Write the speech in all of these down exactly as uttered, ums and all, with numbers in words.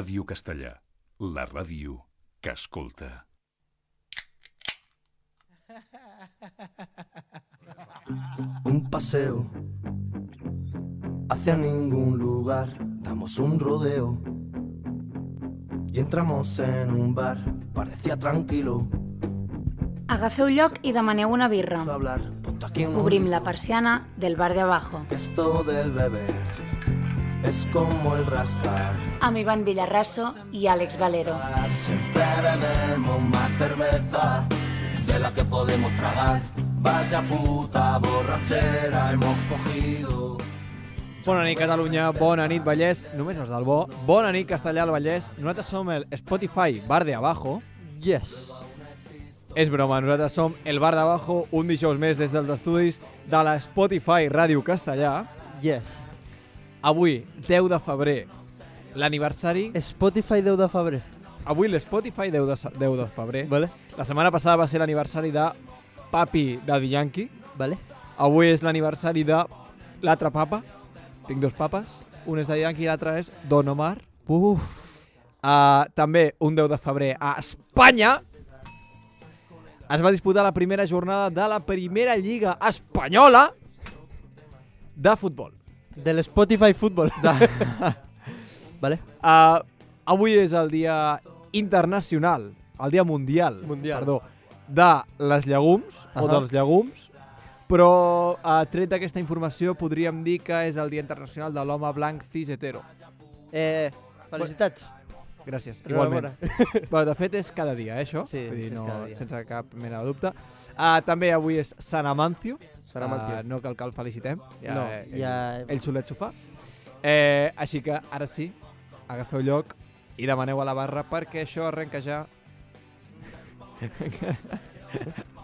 Ràdio Castellà, la ràdio que escolta. Un paseo hacia ningún lugar, damos un rodeo y entramos en un bar, parecía tranquilo. Agafeu lloc i demaneu una birra. Obrim la persiana del bar de abajo. Esto del beber es como el rascar. Amb Iván Villarraso i Àlex Valero. Siempre bebemos más cerveza de la que podemos tragar. Vaya puta borrachera hemos cogido. Bona nit, Catalunya, bona nit, Vallès, només els del bo. Bona nit, Castellà, al Vallès. Nosaltres som el Spotify Bar de Abajo. Yes. És broma, nosaltres som el Bar de Abajo, un dijous més des dels estudis de la Spotify Ràdio Castellà. Yes. Avui, deu de febrer, l'aniversari... Spotify deu de febrer. Avui l'Spotify deu de febrer. Vale. La setmana passada va ser l'aniversari de Papi Daddy Yankee. Vale. Avui és l'aniversari de l'altre papa. Tinc dos papes. Un és Daddy Yankee i l'altre és Don Omar. Uf. Uh, també un deu de febrer a Espanya es va disputar la primera jornada de la primera lliga espanyola de futbol. De l'Spotify Futbol. De... vale. Uh, avui és el dia internacional, el dia mundial, mundial. Perdó, de les llegums, uh -huh. o dels llegums, però uh, tret d'aquesta informació podríem dir que és el dia internacional de l'home blanc cis hetero. Eh, felicitats. Gràcies, igualment. Bueno, de fet és cada dia, eh, això? Sí, Vull dir, és no, cada dia. sense cap mena de dubte. Uh, també avui és Sant Amancio. Sant Amancio. Uh, no cal que el felicitem. Ja, no, eh, ja... Ell, ell solet s'ho fa. Eh, així que ara sí, agafeu lloc i demaneu a la barra perquè això arrenca ja...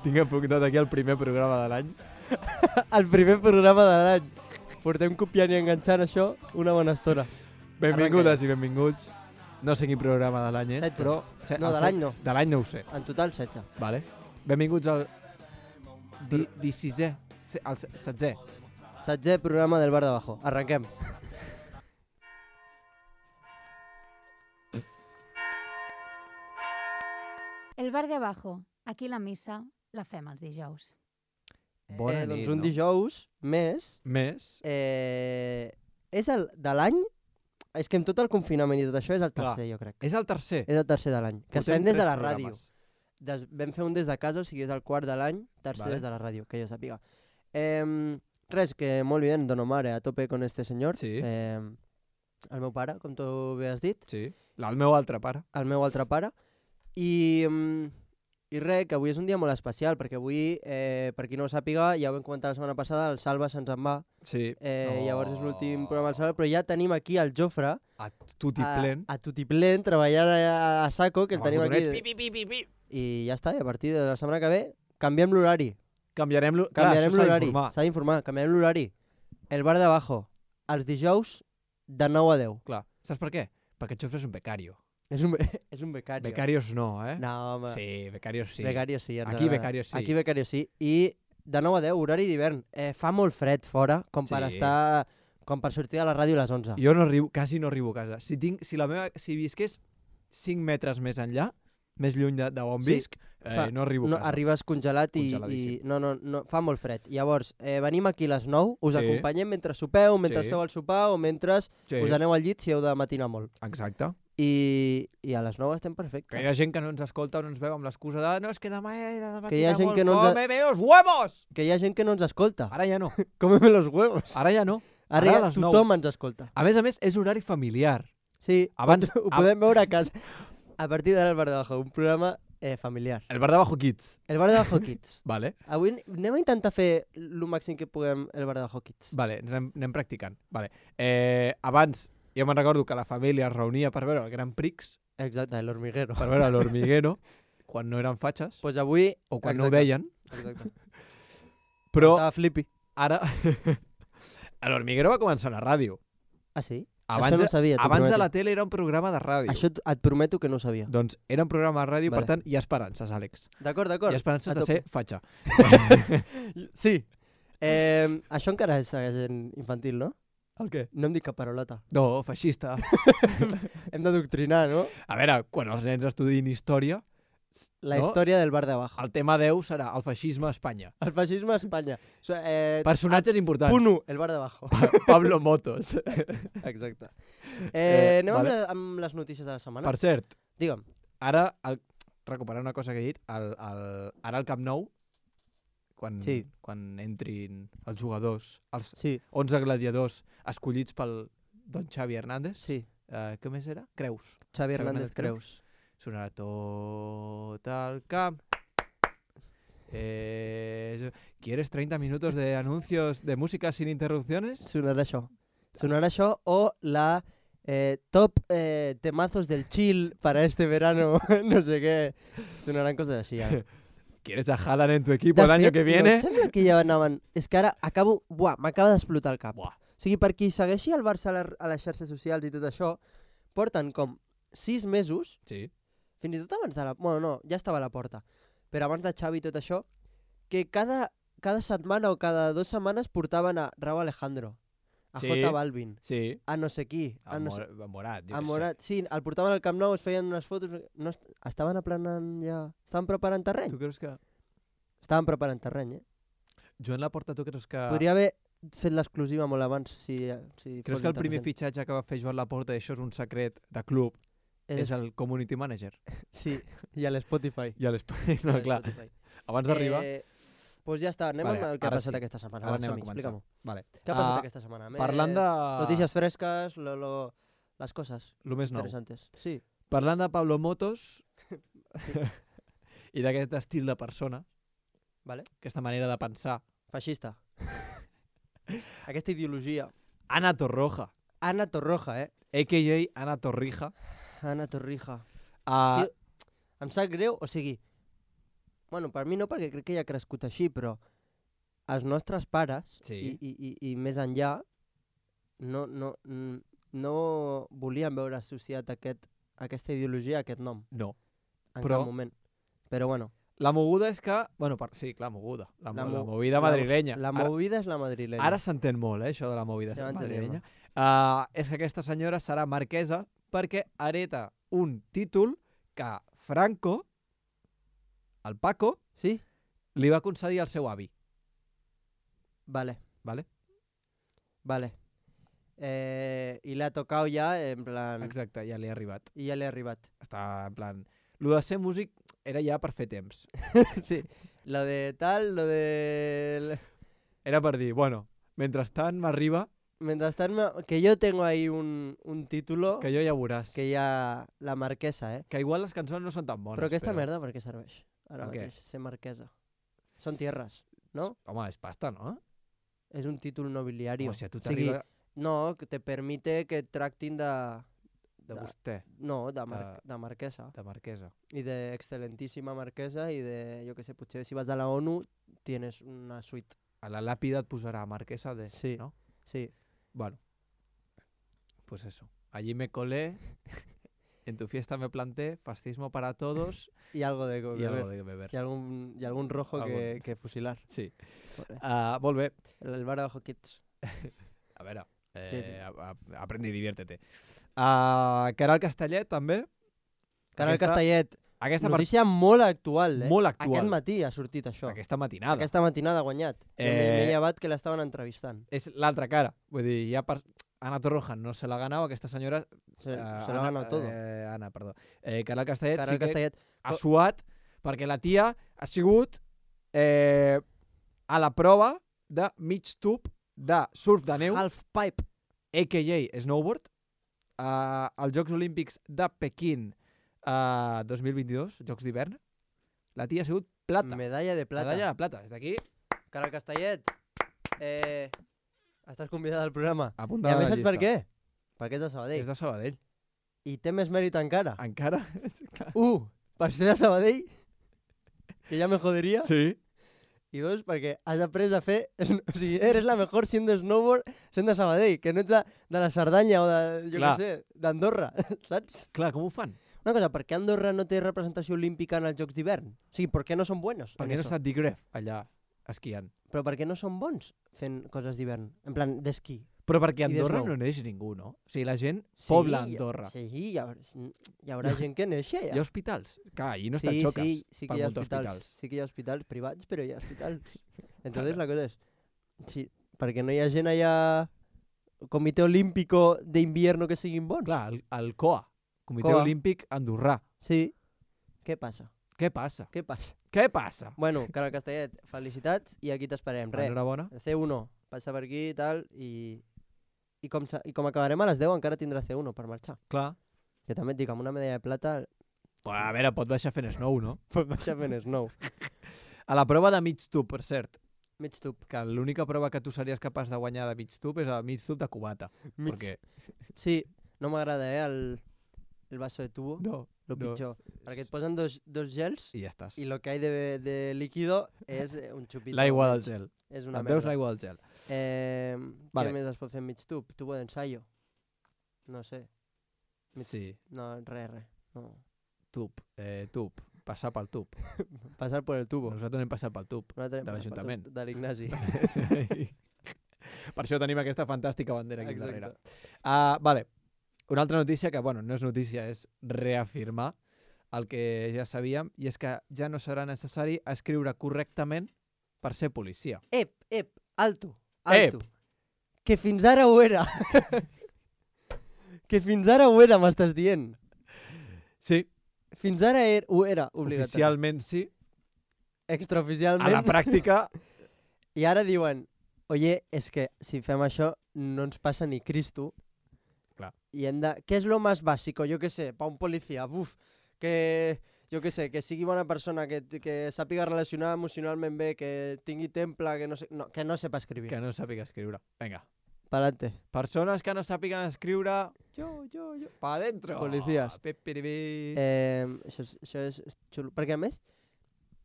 Tinc apuntat aquí el primer programa de l'any. El primer programa de l'any. Portem copiant i enganxant això una bona estona. Benvingudes i benvinguts. No sé quin programa de l'any és, setze. però... No, de l'any no. De l'any no ho sé. En total setze. Vale. Benvinguts al... Di, disisè. Al setzè. Setzè programa del Bar de Abajo. Arrenquem. El Bar de Abajo. Aquí la missa la fem els dijous. Bona eh, nit, doncs un no? dijous més... Més? Eh, és el de l'any... És que amb tot el confinament i tot això és el tercer, Clar. jo crec. És el tercer? És el tercer de l'any. Que es Portem fem des de tres la programes. ràdio. Des, vam fer un des de casa, o sigui, és el quart de l'any, tercer Vale. des de la ràdio, que jo sàpiga. Eh, res, que molt bé, Don Omar, eh, a tope con este senyor. Sí. Eh, el meu pare, com tu bé has dit. Sí. El meu altre pare. El meu altre pare. I, mm, i res, que avui és un dia molt especial, perquè avui, eh, per qui no ho sàpiga, ja ho vam comentar la setmana passada, el Salva se'ns en va. Sí. Eh, Oh. Llavors és l'últim programa del Salva, però ja tenim aquí el Jofre, A tutiplén. a, a tutiplén, treballant a, a saco, que el Amb tenim els aquí. botonets, pi, pi, pi, pi. I ja està, i a partir de la setmana que ve canviem l'horari. Canviarem l'horari. Canviarem l'horari. d'informar. S'ha d'informar, canviarem l'horari. El Bar de Abajo, els dijous de nou a deu. Clar. Saps per què? Perquè el Jofre és un becario. És un, be és un becario. Becarios no, eh? No, home. Sí, becarios sí. Becario sí. en Aquí realidad. becario sí. Aquí becario sí. I de nou a deu, horari d'hivern. Eh, fa molt fred fora, com per Sí. estar... Com per sortir de la ràdio a les onze. Jo no arribo, quasi no arribo a casa. Si, tinc, si, la meva, si visqués cinc metres més enllà, més lluny de, de on Sí. visc, eh, Fa- no arribo a no, casa. arribes congelat i, i Congeladíssim. no, no, no, fa molt fred. Llavors, eh, venim aquí a les nou, us Sí. acompanyem mentre sopeu, mentre Sí. feu el sopar o mentre Sí. us aneu al llit si heu de matinar molt. Exacte. I, i a les nou estem perfectes. Que hi ha gent que no ens escolta o no ens veu amb l'excusa de no, és que demà he de matinar Que hi ha gent molt, que no ens... cómeme los huevos! Que hi ha gent que no ens escolta. Ara ja no. Cómeme los huevos. Ara ja no. Ara, Ara a ja les nou. tothom ens escolta. A més a més, és horari familiar. Sí, Abans- ho podem veure a casa. A partir d'ara el Bar de Abajo, un programa eh, familiar. El Bar de Abajo Kids. El Bar de Abajo Kids. Vale. Avui anem a intentar fer el màxim que puguem el Bar de Abajo Kids. Vale, ens anem, anem practicant. Vale. Eh, abans, jo me'n recordo que la família es reunia per veure el Gran Prix, Exacte, l'hormiguero. per veure l'Hormiguero, quan no eren fatxes, Pues avui... o quan exacte, no ho deien, Exacte. però Estava flippy. ara... l'Hormiguero va començar a la ràdio. Ah, sí? Abans, Això no ho sabia, t'ho abans de prometo. la tele era un programa de ràdio. Això t- et prometo que no ho sabia. Doncs era un programa de ràdio, Vale. per tant, hi ha esperances, Àlex. D'acord, d'acord. Hi ha esperances A de tope. ser fatxa. Sí. Eh, això encara és, és infantil, no? El què? No em dic cap parolota. No, feixista. Hem d'adoctrinar, no? A veure, quan els nens estudin història, La No? història del bar de abajo. el tema deu serà el feixisme a Espanya. El feixisme a Espanya. So, eh, Personatges importants. Punt u, el bar de abajo. Pablo Motos. Exacte. Eh, Eh, anem vale. amb, la, amb les notícies de la setmana? Per cert, Digue'm. ara, el, recuperant una cosa que he dit, el, el, ara al Camp Nou, quan, Sí. quan entrin els jugadors, els Sí, onze gladiadors escollits pel don Xavi Hernández, sí. eh, què més era? Creus. Xavi Hernández Hernández Creus. Sonarà tot el camp. Eh, ¿Quieres treinta minutos de anuncios de música sin interrupciones? Sonarà això. Sonarà això o la eh, top eh, temazos del chill para este verano, no sé què. Sonaran coses així, ara. ¿Quieres a Haaland en tu equipo De el año fet, que no, viene? em sembla que ja anaven... És que ara acabo... Buah, m'acaba d'explotar el cap. Buah. O sigui, per qui segueixi el Barça a, la, a les xarxes socials i tot això, porten com sis mesos, Sí. fins i tot abans de la... Bueno, no, ja estava a la porta. Però abans de Xavi i tot això, que cada, cada setmana o cada dues setmanes portaven a Raúl Alejandro, a Sí. J Balvin, Sí. a no sé qui, a, A, no sé... Mor a Morat, jo A què sé. Morat, sí, el portaven al Camp Nou, es feien unes fotos... No est estaven aplanant ja... Estaven preparant terreny? Tu creus que... Estaven preparant terreny, eh? Joan Laporta, tu creus que... Podria haver fet l'exclusiva molt abans, si, si Creus fos que el primer intel·ligent. fitxatge que va fer Joan Laporta, i això és un secret de club, és, És, el community manager? Sí, i a l'Spotify. I a l'Espai, no, clar. Abans d'arribar... Eh, doncs ja està, anem Vale, amb el que ha ara passat sí. aquesta setmana. Ara Va, anem a som-hi, començar. explica-m'ho. Vale. Què ha passat Ah, aquesta setmana? parlant Més de... Notícies fresques, lo, lo, les coses Lo més nou. interessantes. Sí, Parlant de Pablo Motos i d'aquest estil de persona, vale. aquesta manera de pensar, Feixista. Aquesta ideologia. Ana Torroja, Ana Torroja, eh? a k a. Ana Torrija, Ana Torrija. uh, Tio, em sap greu, o sigui... Bueno, per mi no, perquè crec que ja ha crescut així, però els nostres pares, Sí. i, i, i, i més enllà, no, no, n- no volien veure associat aquest, aquesta ideologia a aquest nom, no. en Però- cap moment. Però bueno, La moguda és que... Bueno, per, sí, clar, moguda. La, La mo la mo- movida madrilenya. la Ara- movida és la madrilenya. Ara s'entén molt, eh, això de la movida Se va entenent, madrilenya. Uh, és que aquesta senyora serà marquesa perquè hereta un títol que Franco, el Paco, Sí? li va concedir al seu avi. Vale, Vale? vale. Eh, I l'ha tocat ja, en plan... Exacte, ja li ha arribat. I ja li ha arribat. Està en plan... Lo de ser músic era ja per fer temps. Sí, lo de tal, lo de... Era per dir, bueno, mentrestant m'arriba Mentrestant, me- que yo tengo ahí un, un título que jo ja veuràs. que ya la marquesa, eh? Que igual les cançons no són tan bones. Però aquesta merda per què serveix? Ara Per què? mateix, ser marquesa. Són tierras, no? Home, és pasta, no? És un títol nobiliario. Home, si a tu O sigui, t'arriba no, que te permite que et tractin de... de de- vostè, No, de, mar de- de marquesa. de marquesa. I de excelentíssima marquesa i de, jo que sé, potser si vas a la ONU tienes una suite. A la làpida et posarà marquesa de... Sí. No? Sí. Bueno, pues eso. Allí me colé, en tu fiesta me planté, fascismo para todos Y algo de y beber. algo de beber. Y algún, y algún rojo que, Algun. que fusilar. Sí. Joder. Uh, molt bé. El, el bar de Ojo Kids. A veure, eh, Sí, sí. a- a- aprende i diviértete. Uh, Caral Castellet, també. Caral Aquesta- Castellet. Aquesta, part, Notícia molt actual, eh? Molt actual. Aquest matí ha sortit això. aquesta matinada. Aquesta matinada ha guanyat. Eh... Eh, M'he llevat que l'estaven entrevistant. És l'altra cara. Vull dir, ja per... Ana Torroja no se l'ha ganado, aquesta senyora... Se, eh, se l'ha Ana- ganat tot. Eh, Ana, perdó. Eh, Caral Castellet Caral sí que Castellet. ha suat perquè la tia ha sigut eh, a la prova de mig tub de surf de neu, Half pipe. a k a snowboard, uh, als Jocs Olímpics de Pequín uh, dos mil vint-i-dos, Jocs d'hivern. La tia ha sigut plata. Medalla de plata. Medalla de plata. Des d'aquí, Caral Castellet. Eh... Estàs convidat al programa. I apuntada a més a la saps per llista. què? Perquè és de Sabadell. És de Sabadell. I té més mèrit encara. Encara? Clar. Uh, per ser de Sabadell, que ja me joderia. Sí. I dos, perquè has après a fer... O sigui, eres la mejor siendo snowboard sent de Sabadell, que no ets de, de la Cerdanya o de, jo Clar. què sé, d'Andorra, saps? Clar, com ho fan? Una cosa, per què Andorra no té representació olímpica en els Jocs d'hivern? O sigui, per què no són buenos Per en què no eso? està Digref allà esquiant? Però per què no són bons fent coses d'hivern? En plan, d'esquí. Però perquè a I Andorra desnou. no neix ningú, no? O sigui, la gent pobla Andorra. Sí, hi haurà, hi haurà gent que neix Hi ha allà. hospitals? Clar, i no sí, estan xoques sí, sí per que hi ha molts hospitals, hospitals. sí que hi ha hospitals privats, però hi ha hospitals. Entonces la cosa es, sí, perquè no hi ha gent allà, Comitè Olímpico d'Invierno que siguin bons. Clar, el, el C O A, Comitè C O A. Olímpic Andorrà. Sí. Què passa? Què passa? Què passa? Què passa? Bueno, Carol Castellet, felicitats i aquí t'esperem. Res, Enhorabona. C uno, passa per aquí i tal, i, i, com, sa- i com acabarem a les deu encara tindrà C uno per marxar. Clar. Que també et dic, amb una medalla de plata Però, a veure, pot baixar fent snow, no? pot baixar fent snow. A la prova de mig tub, per cert, Mig tub. que l'única prova que tu series capaç de guanyar de mig tub és el mig tub de cubata. Mig... Perquè... Sí, no m'agrada, eh, el, el vaso de tubo, No, lo no. pitjor. Perquè et posen dos, dos gels I ja estàs. i lo que hay de, de líquido és eh, un xupito. L'aigua del menys. gel. És una Et veus merda. l'aigua del gel. Eh, Vale. Què més es pot fer en mig tub? Tubo d'ensayo. No sé. Mig... Sí, No, res, res. No. tub, eh, tub, passar pel tub. Passar por el tubo. Nosaltres hem passat pel tub. Nosaltres de hem l'Ajuntament. passat De l'Ignasi. Per això tenim aquesta fantàstica bandera aquí Exacte. darrere. Uh, vale, una altra notícia que, bueno, no és notícia, és reafirmar el que ja sabíem, i és que ja no serà necessari escriure correctament per ser policia. Ep, ep, alto, Ep. alto. Que fins ara ho era. que fins ara ho era, m'estàs dient. Sí, Fins ara er, ho era, obligatori. oficialment sí, Extraoficialment. a la pràctica... I ara diuen, oye, és que si fem això no ens passa ni Cristo. Clar. I hem de... Què és lo más básico? Jo què sé, pa un policia, buf, que... Jo què sé, que sigui bona persona, que, que sàpiga relacionar emocionalment bé, que tingui temple, que no, sé, no, que no sepa escriure. Que no sàpiga escriure. Vinga. Pa'lante. Persones que no sàpiguen escriure... Jo, jo, jo... Pa dentro. Policías. Pipiripi. Eh, això, és, això és xulo. Perquè a més,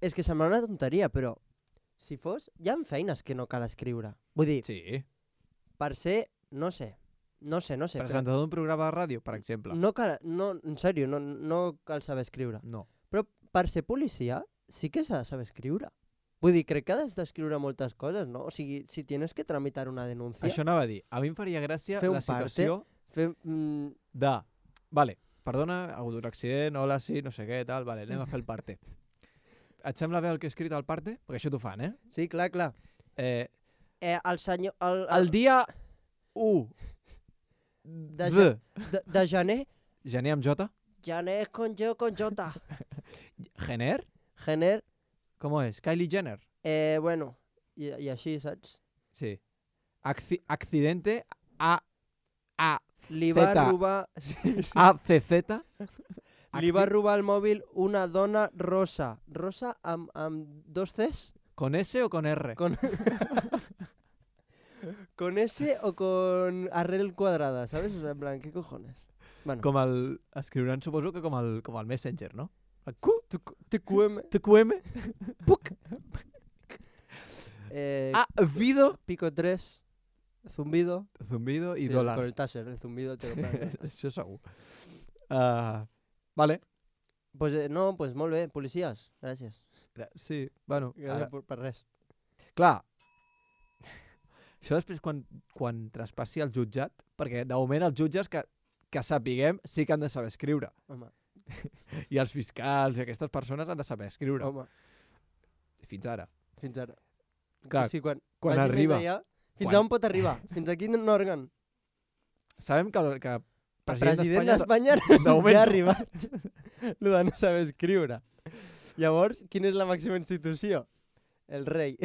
és que sembla una tonteria, però si fos, hi ha feines que no cal escriure. Vull dir, Sí. per ser, no sé, no sé, no sé. però Presentador d'un programa de ràdio, per exemple. No cal, no, en sèrio, no, no cal saber escriure. No. Però per ser policia sí que s'ha de saber escriure. Vull dir, crec que has d'escriure moltes coses, no? O sigui, si tienes que tramitar una denúncia, Això anava a dir. A mi em faria gràcia Fer un la situació fer, mm, de... Vale, perdona, ha hagut un accident, hola, sí, no sé què, tal, vale, anem a fer el parte. Et sembla bé el que he escrit al parte? Perquè això t'ho fan, eh? sí, clar, clar. eh Eh, el senyor... El, el dia u de, de... ja, de, de gener, Gener amb J? gener con jo, con jota. Gener? Gener, Com és? Kylie Jenner? eh, bueno, i, i així, saps? Sí. Acci accidente A... A... Li va Zeta. robar... A C Z? Li va robar el mòbil una dona rosa. Rosa amb, amb dos Cs? ¿Con S o con R? Con... con S o con arrel cuadrada, ¿sabes? O sea, en plan, ¿qué cojones? Bueno, Com el... Escriuran, suposo que com el, com el Messenger, no? El Q, T Q M. T Q M, puc, Eh, A, Vido, Pico tres, zumbido. zumbido i Sí, dólar. Con el taser, el zumbido te lo pagan. Això segur. Uh, vale. Pues eh, no, pues molt bé, policies, gràcies. Gra- Sí, bueno, Gràcies ara, per, per res. clar, això després quan, quan traspassi el jutjat, perquè de moment els jutges que, que sapiguem sí que han de saber escriure. Home, I els fiscals i aquestes persones han de saber escriure. home, Fins ara. fins ara. Clar, sí, quan, quan vagi més arriba. Allà, fins Quan- on pot arribar? Fins a quin òrgan? Sabem que, el- que El president d'Espanya de moment ja ha no. arribat. Lo de no saber escriure. Llavors, quina és la màxima institució? El rei.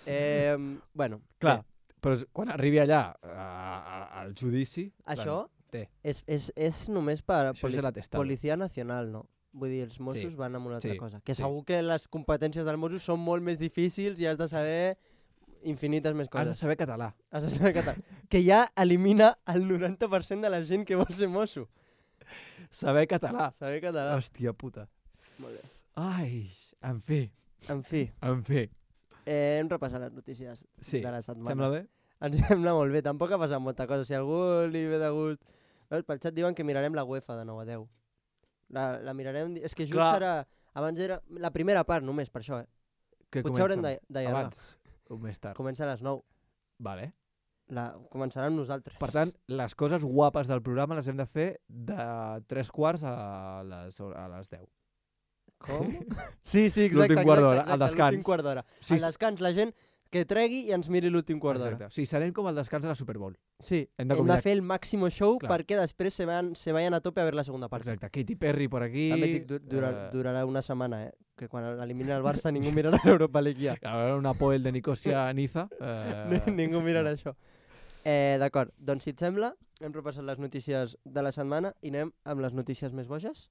eh, bueno, Clar, bé, però és- quan arribi allà a, a, al judici... això té. és, és, és només per Això és poli l'atestado. policia nacional, no? Vull dir, els Mossos Sí, van amb una altra sí, cosa. Que sí. segur que les competències dels Mossos són molt més difícils i has de saber infinites més Has de coses. saber català. Has de saber català. Que ja elimina el noranta per cent de la gent que vol ser mosso. Saber català. Saber català. Hòstia puta. Molt bé. Ai, en fi, En fi, en fi. eh, hem repassat les notícies Sí, de la setmana. sembla bé? Ens sembla molt bé. Tampoc ha passat molta cosa. Si a algú li ve de gust... Veus, pel xat diuen que mirarem la UEFA de nou a deu. La, la mirarem... És que just Clar. serà... Abans era la primera part només, per això, eh? Que Potser haurem comencen de- d'allargar. abans o més tard. Comença a les nou. Vale. La... Començarà amb nosaltres. Per tant, les coses guapes del programa les hem de fer de tres quarts a les, a les deu. Com? Sí, sí, exacte. L'últim quart d'hora, exacte, al descans. L'últim quart d'hora. Sí, Al descans, la gent que tregui i ens miri l'últim quart d'hora. Exacte. Sí, serem com el descans de la Super Bowl. Sí, Hem hem de de, convidar- fer el màximo show Clar. perquè després se, van, se vayan a tope a veure la segona part. Exacte. Katy Perry por aquí. També dic, du dura, eh, durarà una setmana, eh? Que quan eliminin el Barça ningú mirarà l'Europa League ja. A veure, una Poel de Nicosia a Niza. Eh, Ningú mirarà això. Eh, D'acord, doncs si et sembla, hem repassat les notícies de la setmana i anem amb les notícies més boges.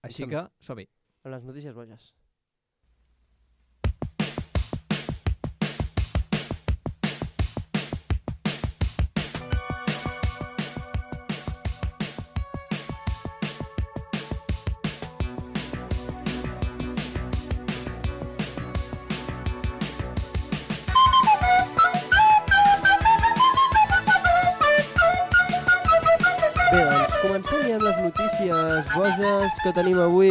Així que som-hi. Amb les notícies boges. Bé, doncs comencem ja amb les notícies boges que tenim avui.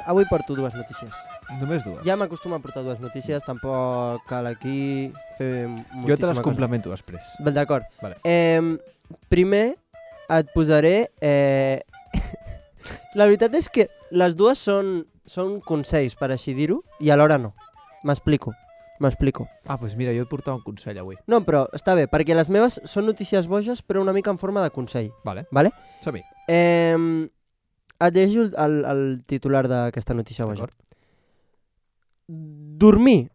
Avui porto dues notícies. Només dues. Ja m'acostumo a portar dues notícies, tampoc cal aquí fer moltíssima Jo te les cosa. complemento després. Bé, d'acord. Vale. Eh, primer et posaré... Eh... La veritat és que les dues són, són consells, per així dir-ho, i alhora no. M'explico. M'explico. Ah, doncs mira, jo et portava un consell avui. No, però està bé, perquè les meves són notícies boges, però una mica en forma de consell. Vale. Vale? Som-hi. Eh, et llegeixo el, el, el titular d'aquesta notícia boja. D'acord. Dormir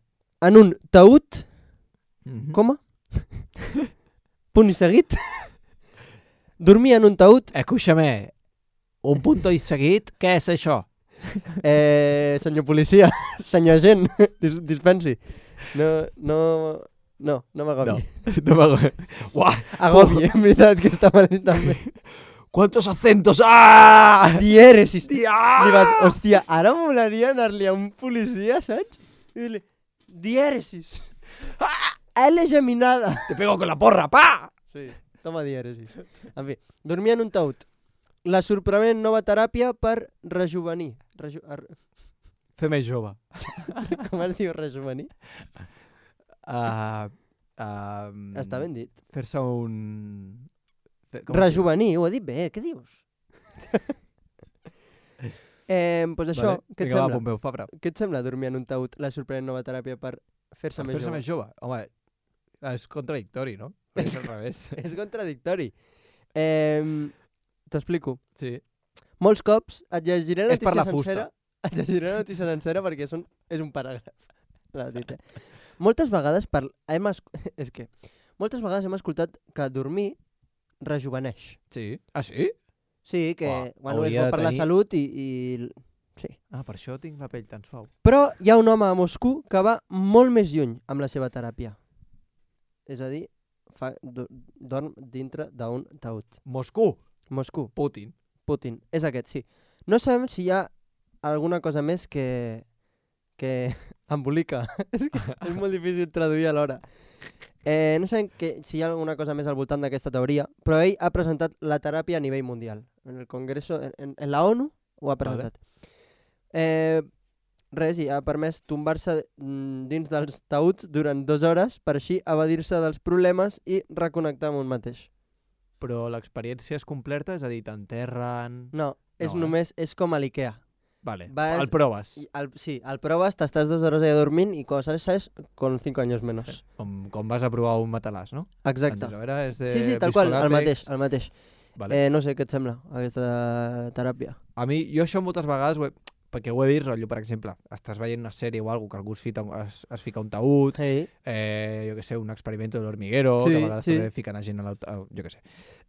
en un taüt, Mhm. coma, punt i seguit. Dormir en un taüt, Escúchame, un punto i seguit, què és això? eh, senyor policia, senyor agent, dis dispensi. No, no, no, no m'agobi. No, no m'agobi. Uah, Agobi, en veritat, que està mal dit també. ¿cuántos acentos? ¡Ah! Dièresis. Tia! Li vas, hòstia, ara molaria anar-li a un policia, saps? I dir-li, dièresis. Ah, L geminada. Te pego con la porra, pa! Sí, toma dièresis. En fi, dormir en un taüt. La sorprenent nova teràpia per rejuvenir. Reju ar Fer més jove. Com es diu rejuvenir? Uh, uh, Està ben dit. Fer-se un... Fer- com es diu? Rejuvenir, ho he dit bé, què dius? eh, pues això, Vale. què et Vinga, va, sembla? Pompeu Fabra. Què et sembla dormir en un taüt, la sorprenent nova teràpia per fer-se Per més fer-se jove? més jove. Home, és contradictori, no? És És al revés. És contradictori. Eh, T'explico. Sí. Molts cops et llegiré la És per notícia la fusta. sencera. Et llegiré la notícia sencera perquè són, és un paràgraf. L'ha dit, eh? Moltes vegades per, hem es, és que moltes vegades hem escoltat que dormir rejuveneix. Sí. Ah, sí? Sí, que Uah, bueno, és hauria bo de per la tenir- salut i, i... Sí. Ah, per això tinc la pell tan suau. Però hi ha un home a Moscou que va molt més lluny amb la seva teràpia. És a dir, fa, do, dorm dintre d'un taüt. Moscou. Moscou. Putin. Putin. És aquest, sí. No sabem si hi ha alguna cosa més que... que embolica. és que és molt difícil traduir alhora. Eh, no sabem que, si hi ha alguna cosa més al voltant d'aquesta teoria, però ell ha presentat la teràpia a nivell mundial. En el Congreso, en, en, en la ONU, ho ha presentat. Eh, res, i ha permès tombar-se mm, dins dels taüts durant dues hores per així evadir-se dels problemes i reconnectar amb un mateix. Però l'experiència és completa, és a dir, t'enterren... No, és No, eh? només, és com a l'IKEA. Vale, Vas- el proves. I Al, sí, al pruebas, t'estàs dues hores allà dormint i coses sales con cinco años menos. Com, com vas a provar un matalàs, no? Exacte. Entonces, a veure, és de Sí, sí, tal qual, el viscolátex. mateix, el mateix. Vale. Eh, no sé, què et sembla, aquesta teràpia? A mi, jo això moltes vegades, ho he, perquè ho he vist, rotllo, per exemple, estàs veient una sèrie o alguna que algú es fica, es, es fica un taüt, Hey. eh, jo que sé, un experimento de l'hormiguero, Sí, que a vegades sí. també fiquen a gent a l'auto... Jo que sé.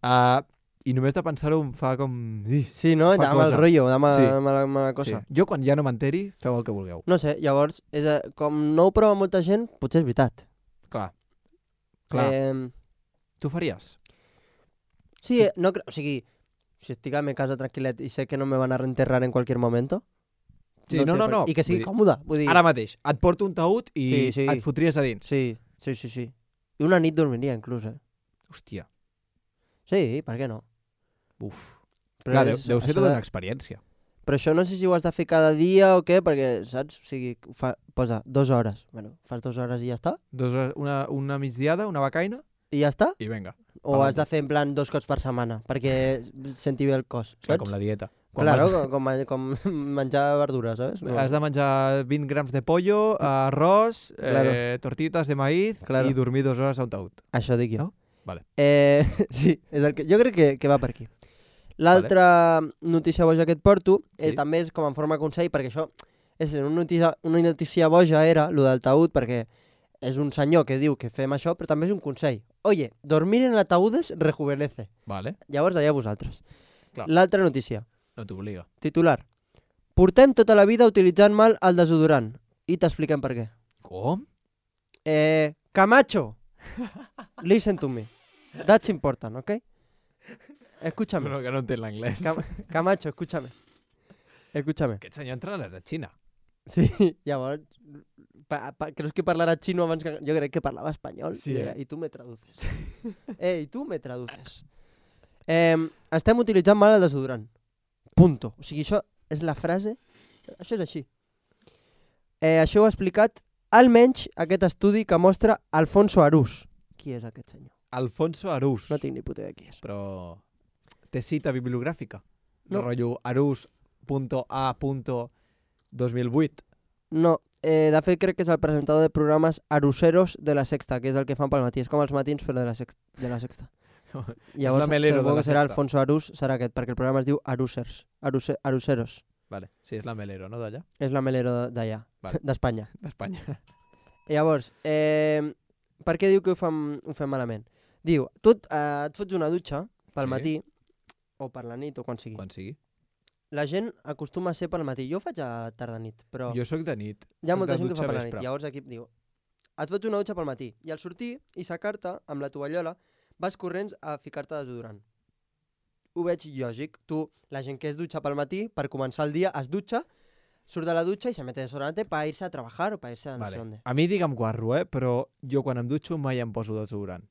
Uh, I només de pensar-ho em fa com... Ih, Sí, no? Fa Da mal cosa. rotllo, da mala, Sí. mala, mala sí. cosa. Jo quan ja no m'enteri, feu el que vulgueu. No sé, llavors, és, a- com no ho prova molta gent, potser és veritat. Clar. Clar. Eh, Tu faries? sí, eh, no creo, o sigui, si estic a mi casa tranquil·let i sé que no me van a reenterrar en qualsevol moment, Sí, no, té no, per- no. I que sigui Vull dir, còmode, vull dir... Ara mateix, et porto un taüt i Sí, sí. et fotries a dins. Sí, sí, sí, sí. I una nit dormiria, inclús, eh? Hòstia. Sí, per què no? Uf. Però Clar, deu, és deu ser això tota de- una experiència. Però això no sé si ho has de fer cada dia o què, perquè, saps? O sigui, fa, posa dues hores. Bueno, fas dues hores i ja està? Dos hores, una, una migdiada, una becaina, I ja està? i venga. O Pa'lante. has de fer en plan dos cops per setmana, perquè senti bé el cos, Clar, saps? com la dieta. Claro, vas- com, com, com menjar verdures, saps? No. Has de menjar vint grams de pollo, arròs, Claro. eh, tortitas de maíz Claro. i dormir dues hores a un taüt. Això dic jo. No? Vale. Eh, sí, és el que, jo crec que, que va per aquí. L'altra vale. notícia boja que et porto eh, Sí. també és com en forma de consell, perquè això és una notícia, una notícia boja era, lo del taüt, perquè és un senyor que diu que fem això, però també és un consell. Oye, dormir en ataúdes rejuvenece. Vale, Llavors, allà vosaltres. Clar. L'altra notícia, no t'obliga. titular. Portem tota la vida utilitzant mal el desodorant. I t'expliquem per què. Com? Eh, Camacho, listen to me. That's important, ¿ok? Escúchame. No, que no entenc l'anglès. Cam Camacho, escúchame. Escúchame. Aquest senyor entra a la Xina. Sí, llavors, pa, pa, creus que parlarà xino abans que... Jo crec que parlava espanyol. Sí, i, eh? I tu me traduces. eh, i tu me traduces. Eh, estem utilitzant mal el desodorant. Punto. O sigui, això és la frase... Això és així. Eh, això ho ha explicat almenys aquest estudi que mostra Alfonso Arús. Qui és aquest senyor? Alfonso Arús. No tinc ni puta idea qui és. Però té cita bibliogràfica. No. No. Rotllo arús punto a punto dos mil vuit. No, eh, de fet crec que és el presentador de programes Aruseros de la Sexta, que és el que fan pel matí. És com els matins, però de la, sext de la Sexta. Llavors, la Melero segur de la que serà Sexta. Alfonso Arús, serà aquest, perquè el programa es diu Arusers. Aruse Aruseros. Vale, sí, és la Melero, no, d'allà? És la Melero de- d'allà, Vale. d'Espanya. D'Espanya. Llavors, eh, per què diu que ho fem, ho fem malament? Diu, tu et, eh, et fots una dutxa pel Sí. matí, o per la nit, o quan sigui. Quan sigui. La gent acostuma a ser pel matí. Jo ho faig a tarda-nit, però... Jo sóc de nit. Hi ha Soc molta de gent que dutxa fa per la vespre. nit. Llavors aquí diu, et fots una dutxa pel matí i al sortir i sacar-te amb la tovallola vas corrents a ficar-te desodorant. Ho veig lògic. Tu, la gent que es dutxa pel matí, per començar el dia, es dutxa, surt de la dutxa i se mete desodorante para irse a trabajar o para irse a no Vale. sé dónde. A mi digue'm guarro, eh? Però jo quan em dutxo mai em poso desodorant.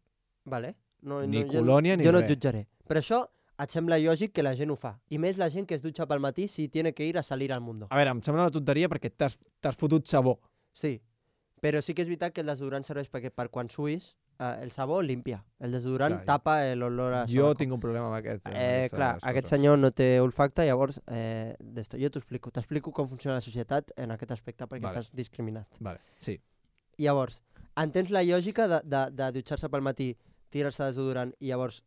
Vale? No, Ni no, colònia jo, ni jo no et res. jutjaré. Però això et sembla lògic que la gent ho fa. I més la gent que es dutxa pel matí si tiene que ir a salir al mundo. A veure, em sembla una tonteria perquè t'has t'has fotut sabó. Sí, però sí que és veritat que el desodorant serveix perquè per quan suïs, eh, el sabó limpia. El desodorant Clar, tapa l'olor a Jo sobaco. tinc un problema amb aquest. Eh, clar, aquest senyor no té olfacte, llavors eh, d'esto. Jo t'ho explico. T'explico com funciona la societat en aquest aspecte perquè Vale. estàs discriminat. Vale, sí. Llavors, entens la lògica de, de, de dutxar-se pel matí, tirar-se desodorant i llavors...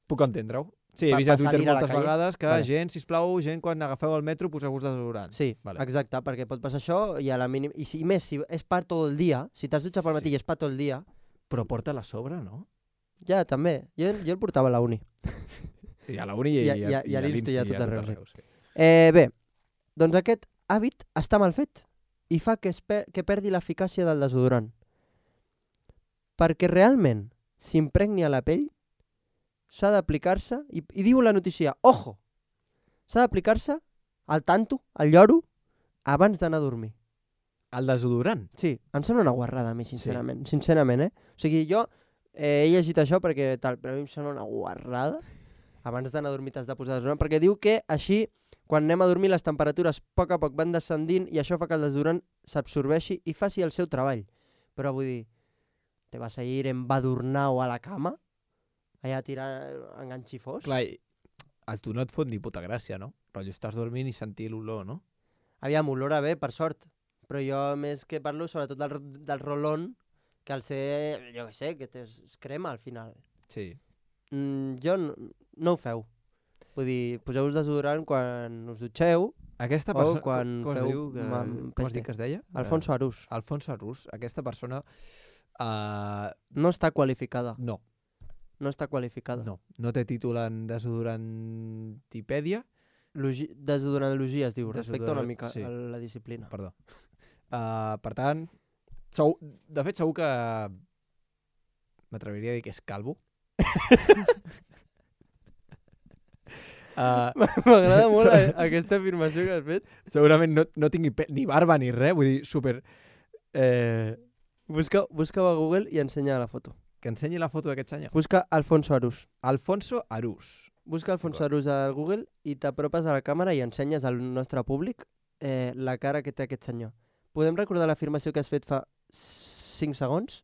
Puc entendre-ho. Sí, he Pa- vist a pa Twitter salir a la moltes calle. vegades que Vale. gent, sisplau, gent, quan agafeu el metro, poseu-vos desodorant. Sí, Vale. exacte, perquè pot passar això i a la mínim... I si, més, si és per tot el dia, si t'has dutxat pel matí Sí. i és per tot el dia, Però porta-la a sobre, no? ja, també. Jo, jo el portava a la uni. I a la uni i, I a- i, i a- i a l'Insti i a tot arreu, sí. sí. Eh, bé, doncs aquest hàbit està mal fet i fa que, es per que perdi l'eficàcia del desodorant. Perquè realment s'impregni a la pell, s'ha d'aplicar-se, i, i diu la notícia, ojo, s'ha d'aplicar-se al tanto, al lloro, abans d'anar a dormir. El desodorant? Sí, em sembla una guarrada a mi, sincerament. Sí. Sincerament, eh? O sigui, jo eh, he llegit això perquè tal, però a mi em sembla una guarrada. Abans d'anar a dormir t'has de posar desodorant, perquè diu que així, quan anem a dormir, les temperatures a poc a poc van descendint i això fa que el desodorant s'absorbeixi i faci el seu treball. Però vull dir, te vas a ir embadurnau a la cama? Allà a tirar enganxifós? Clar, i a tu no et fot ni puta gràcia, no? Rotllo, estàs dormint i sentir l'olor, no? Aviam, olora bé, per sort. Però jo més que parlo sobretot del, del rolón, que al ser, jo què sé, que es crema al final. Sí. Mm, jo no, no ho feu. Vull dir, poseu-vos desodorant quan us dutxeu. Aquesta O persona... quan com, com es feu diu? Que, mam- com es peste. diu que es deia? Alfonso Arús. Uh, Alfonso Arús. Aquesta persona... Uh, No està qualificada. no, No està qualificada. no. No té títol en desodorantipèdia. Logi Desodorantologia es diu. Respecta una Desodorant- mica sí. a la disciplina. Perdó. Uh, per tant, sou, de fet segur que m'atreviria a dir que és calvo. uh, M'agrada molt a, aquesta afirmació que has fet. segurament no, no tingui pe ni barba ni res, vull dir, super... Eh, Busca, busca a Google i ensenya la foto. que ensenyi la foto d'aquest senyor. Busca Alfonso Arús. Alfonso Arús. busca Alfonso Arús al Google i t'apropes a la càmera i ensenyes al nostre públic eh, la cara que té aquest senyor. Podem recordar l'afirmació que has fet fa cinc segons?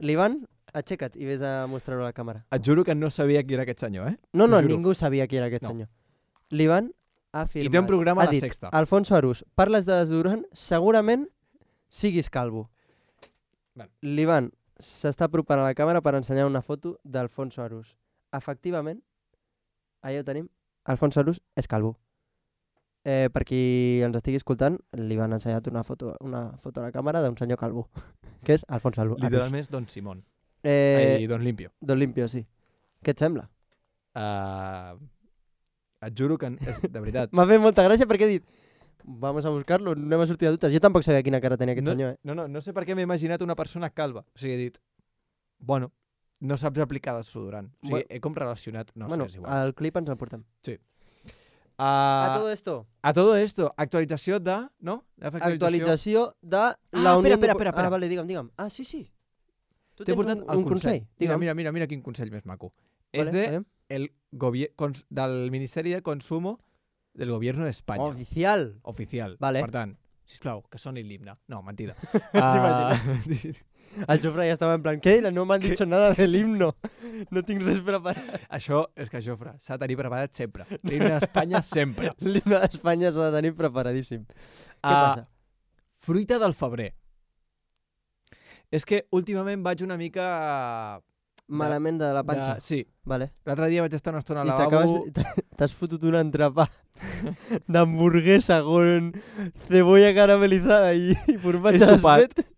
L'Ivan, aixeca't i vés a mostrar-ho a la càmera. Et juro que no sabia qui era aquest senyor, eh? No, no, T'ho juro. ningú sabia qui era aquest No. senyor. L'Ivan ha afirmat... I té un programa ha a La dit, Sexta. Alfonso Arús, parles de desodorant, segurament siguis calvo. Bueno. L'Ivan s'està apropant a la càmera per ensenyar una foto d'Alfonso Arús. Efectivament, allà ho tenim, Alfonso Arús és calvo. Eh, per qui ens estigui escoltant, li van ensenyat una foto, una foto a la càmera d'un senyor calvo, que és Alfonso Arús. Literalment és Don Simón. Eh, Ai, Don Limpio. Don Limpio, sí. Què et sembla? Uh, et juro que... És, de veritat. M'ha fet molta gràcia perquè he dit vamos a buscar-lo, anem a sortir de dubtes. Jo tampoc sabia quina cara tenia aquest no, senyor, eh? No, no, no sé per què m'he imaginat una persona calva. O sigui, he dit, bueno, no saps aplicar desodorant. O sigui, Bueno. he com relacionat... No bueno, sé, és igual. al clip ens el portem. Uh, A todo esto, a todo esto, actualització de... No? actualització de Ah, la Unió... espera, espera, de... espera, espera. Ah, vale, digue'm, digue'm. Ah, sí, sí. Tu T'he tens portat un, el un consell. Mira, Digue'm. mira, mira, mira quin consell més maco. Vale, és de aviam. el gobier- cons del Ministeri de Consumo del Gobierno d'Espanya. Oficial. Oficial. Vale. Per tant, sisplau, que soni l'himne. No, mentida. T'imagines? El Jofre ja estava en plan, què? No m'han dit nada del himno. No tinc res preparat. Això és que, Jofre, s'ha de tenir preparat sempre. L'himne d'Espanya sempre. L'himne d'Espanya s'ha de tenir preparadíssim. Què Ah, passa? Fruita del febrer. És que últimament vaig una mica... Malament de la panxa. De... Sí. Vale. L'altre dia vaig estar una estona al I lavabo... t'acabes... T'has fotut un entrepà d'hamburguesa con cebolla caramelizada i, i formatge He sopat. desfet.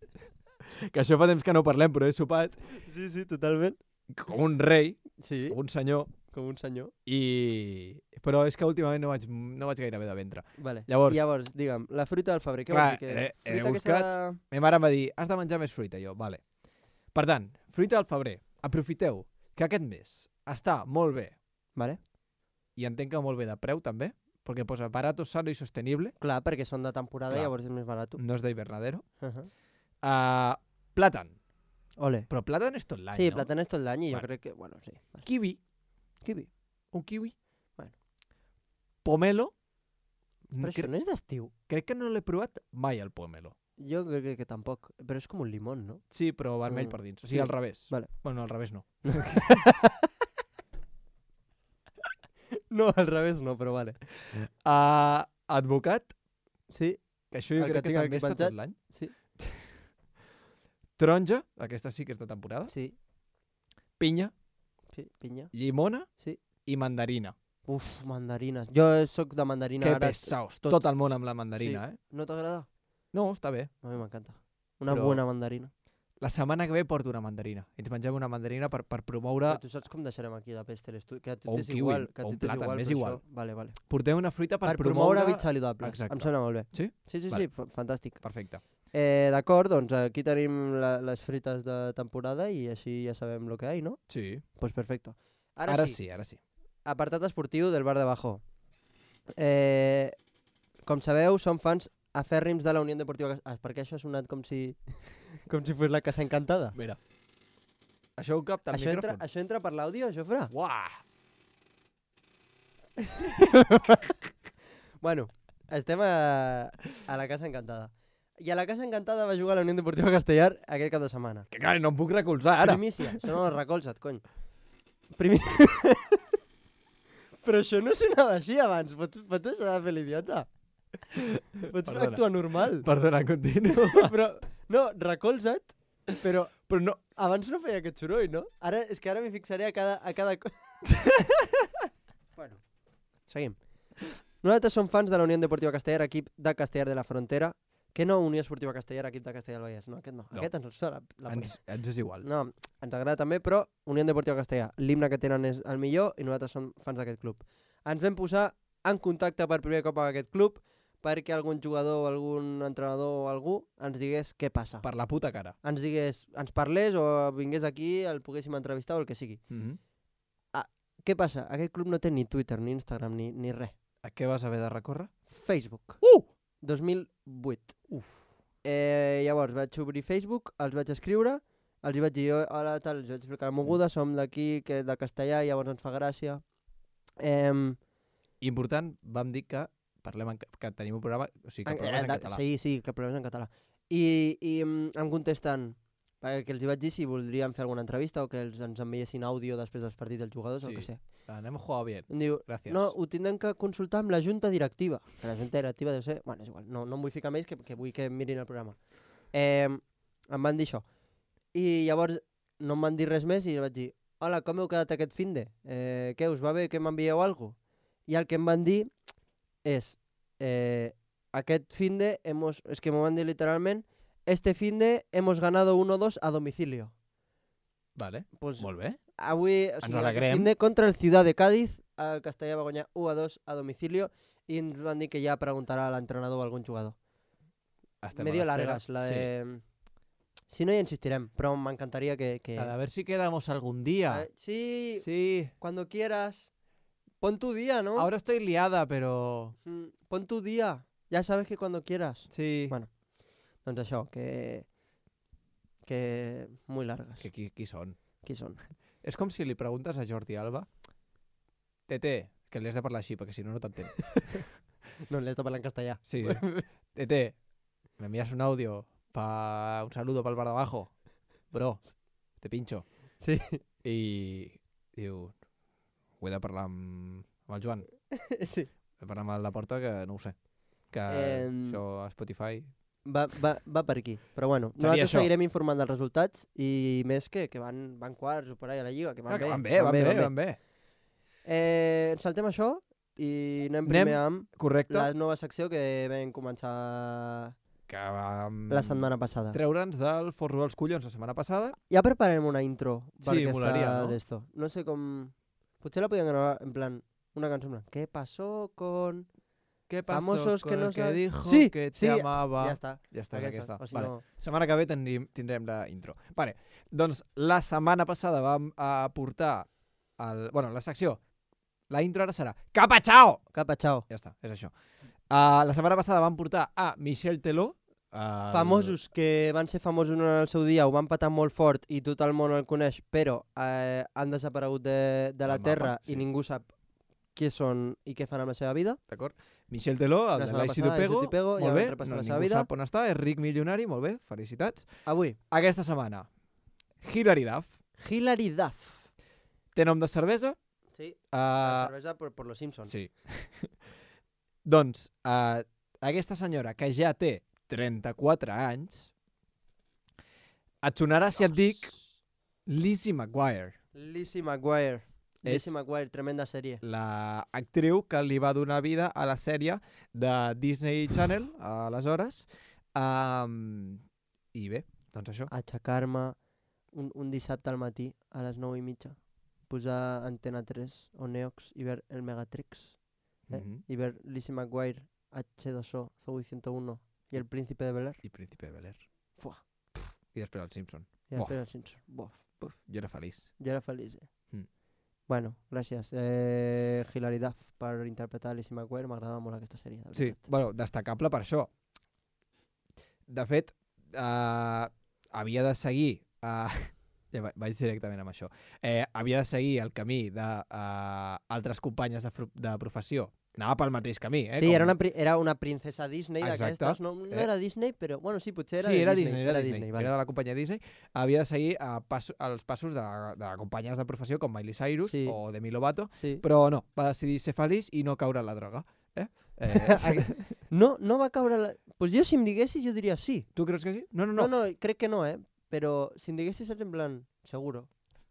Que això fa temps que no parlem, però he sopat Sí, sí, totalment. com un rei, Sí, com un senyor, com un senyor. i... Però és que últimament no vaig, no vaig gaire bé de ventre. Vale. Llavors- Llavors, digue'm, la fruita del febrer, què Clar, vols dir? Que he- he fruita buscat- aquesta... Ma mare em va dir, has de menjar més fruita, jo, vale. Per tant, fruita del febrer, aprofiteu que aquest mes està molt bé, Vale. i entenc que molt bé de preu també, perquè posa barato, sano i sostenible, Clar, perquè són de temporada Clar. i llavors és més barat. no és d'hivernadero. Uh -huh. Uh, plàtan, Ole. però plàtan és tot l'any, Sí, no? plàtan és tot l'any i jo Vale. crec que... Bueno, sí. Vale. Kiwi, Kiwi. un kiwi. Bueno. Pomelo, Però cre això no és d'estiu. crec que no l'he provat mai, el pomelo. Jo crec que, que tampoc. Però és com un limón, no? Sí, però vermell Mm. per dins. O sigui, Sí. al revés. Vale. Bueno, al revés no. No, al revés no, però vale. Uh, advocat, Sí, que això jo El que crec que, tinc també aquí està penjat. tot l'any. sí, Taronja, aquesta sí que és de temporada. sí. Pinya, Sí, pinya. llimona Sí. i mandarina. Uf, mandarines. Jo sóc de mandarina. Que ara pesaos, tot. tot el món amb la mandarina, Sí. eh? No t'agrada? No, està bé. A mi m'encanta. Una Però- bona mandarina. La setmana que ve porto una mandarina. Ens mengem una mandarina per, per promoure... Però tu saps com deixarem aquí de peste l'estudi? Que a tu O un t'és kiwi, igual. Que a o tu un t'és plàtan, igual, m'és però igual. això- Vale, vale. Portem una fruita per, Per, promoure promoure... hàbits saludables. Exacte. Em sembla molt bé. Sí? Sí, sí, Vale. sí, fa- fantàstic. Perfecte. Eh, D'acord, doncs aquí tenim la, les frites de temporada i així ja sabem lo que hay, ¿no? Sí. Pues perfecto. Ara, Ara sí, sí, ara sí. apartat esportiu del bar de Bajo. Eh, com sabeu, som fans afèrrims de la Unió Deportiva... Cas- Ah, perquè això ha sonat com si com si fos la Casa Encantada. Mira. Això ho capta el Això entra, micròfon. això entra per l'àudio, Jofre? Uah! Bueno, estem a, a la Casa Encantada. I a la Casa Encantada va jugar la Unió Deportiva Castellar aquest cap de setmana. Que clar, no em puc recolzar ara. Primícia, això no el recolza't, cony. Primi... Però això no sonava així abans, pots, pots deixar de fer l'idiota? Pots Perdona. actuar normal. Perdona, continua. Però, no, recolza't, però Però no... abans no feia aquest soroll, no? Ara, és que ara m'hi fixaré a cada... A cada... co- bueno, seguim. Nosaltres som fans de la Unió Deportiva Castellar, equip de Castellar de la Frontera, que no Unió Esportiva Castellar, equip de Castellar del Vallès. No, aquest no. No. Aquest ens sona la polla. Ens, ens és igual. No, ens agrada també, però Unió Deportiva Castellar, l'himne que tenen és el millor i nosaltres som fans d'aquest club. Ens vam posar en contacte per primer cop amb aquest club perquè algun jugador, algun entrenador o algú ens digués què passa. Per la puta cara. Ens digués, ens parlés o vingués aquí, el poguéssim entrevistar o el que sigui. Mm -hmm. Què passa? Aquest club no té ni Twitter, ni Instagram, ni, ni res. A què vas haver de recórrer? Facebook. Uh! dos mil vuit. Uf. Eh, llavors vaig obrir Facebook, els vaig escriure els hi vaig dir, hola, tal, els vaig explicar la moguda, som d'aquí, que de castellà, i llavors ens fa gràcia. Eh, Important, vam dir que parlem en, que tenim un programa, o sigui, que el programa és en català. Sí, sí, que el programa és en català. I, i em contesten, perquè els hi vaig dir si voldrien fer alguna entrevista o que els, ens enviessin àudio després dels partits dels jugadors Sí. o el que sé. Anem a jugar bien. Em diu, Gràcies. no, ho tindrem que consultar amb la junta directiva. Que la junta directiva deu ser... Bueno, és igual, no, no em vull ficar més que, que vull que mirin el programa. Eh, em van dir això. I llavors no em van dir res més i vaig dir, hola, com heu quedat aquest finde? Eh, què, us va bé que m'envieu alguna cosa? I el que em van dir és, eh, aquest finde, hemos, es que m'ho van dir literalment, este finde hemos ganado uno dos a domicilio. Vale, Pues, molt bé. avui, o Ens sigui, alegrem. aquest finde contra el Ciudad de Cádiz, el Castellà va guanyar u a dos a domicilio i ens van dir que ja preguntarà a l'entrenador o a algun jugador. Estem Medio a l'espera. largas, la de... Si no, ja insistirem, però m'encantaria que... que... Sí. A ver si quedamos algún día. Eh, sí, Sí. cuando quieras. Pon tu día, ¿no? Ahora estoy liada, pero... Mm, pon tu día. Ya sabes que cuando quieras. Sí. Bueno. Doncs això, que... Que... Muy largas. Que qui, qui són? Qui són? És com si li preguntes a Jordi Alba, Tete, que li has de parlar així, perquè si no, no t'entén. No, l'he de parlar en castellà. Sí. Tete, me envías un audio pa un saludo para el bar de abajo. Bro, te pincho. Sí. I diu, ho he de parlar amb, amb el Joan. Sí. He de parlar amb el Laporta, que no ho sé. Que Em, això a Spotify... Va, va, va per aquí. Però bueno, Seria nosaltres això. seguirem informant dels resultats i més que, que van, van quarts o per ahí a la Lliga, que van Ah, que bé. van bé, van bé, van bé. Eh, saltem això i anem Anem- primer amb Correcte. la nova secció que vam començar Que vam la setmana passada. treure'ns del forro dels collons la setmana passada. Ja preparem una intro per Sí, aquesta molaria, no? d'esto. No sé com... Potser la podíem gravar en plan, una cançó en plan, ¿qué pasó con...? ¿Qué pasó Famosos con que no el que saben- dijo Sí, que te sí, amava? Ja està. Ja està, Aquesta. aquesta. O si Vale. no... Setmana que ve tindrem, tindrem la intro. Vale, doncs la setmana passada vam aportar el, bueno, la secció. La intro ara serà Capa Chao! Capa, chao. Ja està, és això. Uh, la setmana passada vam portar a Michel Teló. El... Famosos que van ser famosos en el seu dia, ho van patar molt fort i tot el món el coneix, però eh, han desaparegut de, de la Del mapa, Terra sí. i ningú sap qui són i què fan amb la seva vida. D'acord? Michel Teló, el La de setmana l'Aixi de passada, Pego. Aisy Pego, ja Molt vam bé, repassar no, la seva ningú vida. sap on està, és ric milionari, molt bé, felicitats. Avui, Aquesta setmana, Hilary Duff, Hilary Duff. té nom de cervesa. Sí, la Uh, cervesa por, por los Simpsons. sí. Doncs, uh, aquesta senyora, que ja té trenta-quatre anys, et sonarà si et dic Lizzie McGuire, Lizzie McGuire. És- Lizzie McGuire, tremenda sèrie. la actriu que li va donar vida a la sèrie de Disney Channel, aleshores. Um, I bé, doncs això. Aixecar-me un, un dissabte al matí a les nou i mitja, posar Antena tres o Neox i ver el Megatrix eh? Mhm. i ver Lizzie McGuire, H dos O, Zoe ciento uno i el Príncipe de Bel-Air. I Príncipe de Bel-Air. Fuà. I després el Simpson. I Bof. després el Simpson. Bof. Puf, jo era feliç. Jo era feliç, eh? Mm. Bueno, gràcies, eh, Hilary Duff, per interpretar Lizzie McGuire. M'agradava molt aquesta sèrie, de Sí, veritat. bueno, destacable per això. De fet, uh, havia de seguir... Uh, ja va- vaig directament amb això. Eh, havia de seguir el camí d'altres uh, companyes de, fru- de professió. Anava pel mateix camí, eh? Sí, com- era una, pri- era una princesa Disney Exacte. d'aquestes. No, no Eh. era Disney, però... Bueno, sí, potser era sí, de era Disney. Disney, era Disney, vale. era de la companyia Disney. Havia de seguir uh, pas, els passos de, de companyes de professió com Miley Cyrus Sí. o Demi Lovato, Sí. però no, va decidir ser feliç i no caure en la droga. Eh? Eh, No, no va caure... La... Pues jo, si em diguessis, jo diria sí. tu creus que sí? No, no, No, no. no, crec que no, eh? Però si em diguessis, saps en plan, seguro.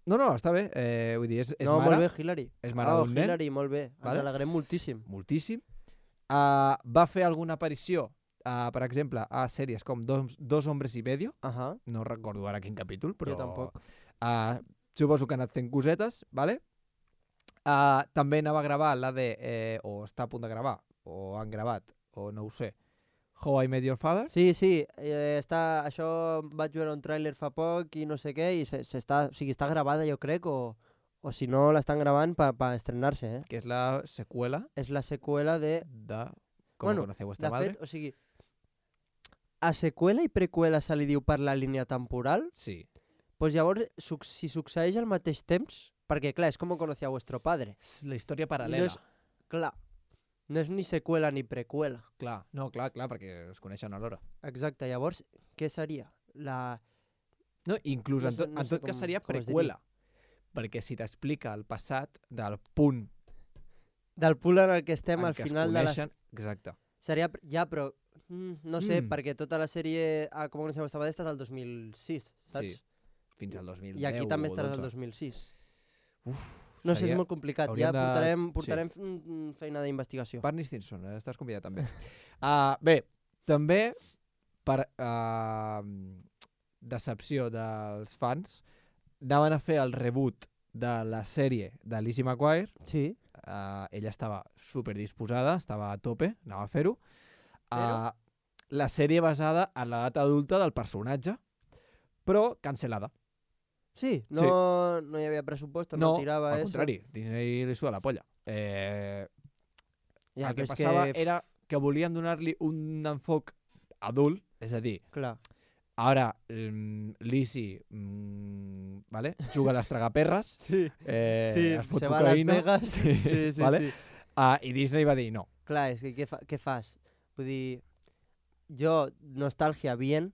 No, no, està bé. Eh, vull dir, és, és no, mare, molt bé, Hilary. és mare oh, d'un nen. Hilary, molt bé. Vale. Ens alegrem moltíssim. moltíssim. Uh, va fer alguna aparició, uh, per exemple, a sèries com Dos, Dos hombres i medio. Ahà, No recordo ara quin capítol, però... jo tampoc. Uh, suposo que ha anat fent cosetes, vale? Uh, també anava a gravar la de... Eh, o està a punt de gravar, o han gravat, o no ho sé, How I Met Your Father. Sí, sí, eh, està, això vaig veure un tràiler fa poc i no sé què, i se, se està, o sigui, està gravada, jo crec, o, o si no l'estan gravant per pa estrenar-se, eh? Que és la seqüela És la seqüela de... de Com Bueno, conoceu vuestra De madre. fet, o sigui, a seqüela i preqüela se li diu per la línia temporal, Sí. pues llavors, suc si succeeix al mateix temps, perquè clar, és com conocía a vuestro padre. És la història paral·lela. No és, clar, no és ni seqüela ni preqüela. Clar, no, clar, clar, perquè es coneixen alhora. Exacte, llavors, què seria? La... No, inclús No en sé- tot, no en sé tot cas com- seria com es preqüela. Perquè si t'explica el passat del punt Del punt en el que estem en al què es final de la... coneixen... Exacte. Seria... Ja, però... Mm, no sé, Mm. perquè tota la sèrie a Com conocía vuestra madre estàs al dos mil sis, saps? Sí. Fins al dos mil deu I aquí també o estaràs al dotze. dos mil sis. Uf, No sé, seria- és molt complicat. hauríem Ja de- portarem, sí. portarem mm, feina d'investigació. Barney Stinson, eh, estàs convidat també. uh, bé, també per uh, decepció dels fans, anaven a fer el reboot de la sèrie de Lizzie McGuire. Sí. Uh, ella estava super disposada, estava a tope, anava a fer-ho. Uh, la sèrie basada en l'edat adulta del personatge, però cancel·lada. Sí, no, Sí. no hi havia pressupost, no, No, tirava al eso. contrari, Disney li suda la polla. Eh, Ja, el que però és passava que... era que volien donar-li un enfoc adult, és a dir, Clar. ara mm, Lizzie mm, vale? juga a les tragaperres, Sí. eh, Sí, es fot se va a Las cocaïna, Vegas. sí, sí, sí, vale? sí. Ah, i Disney va dir no. Clar, és que què, fa, què fas? Vull dir, jo, nostàlgia bien,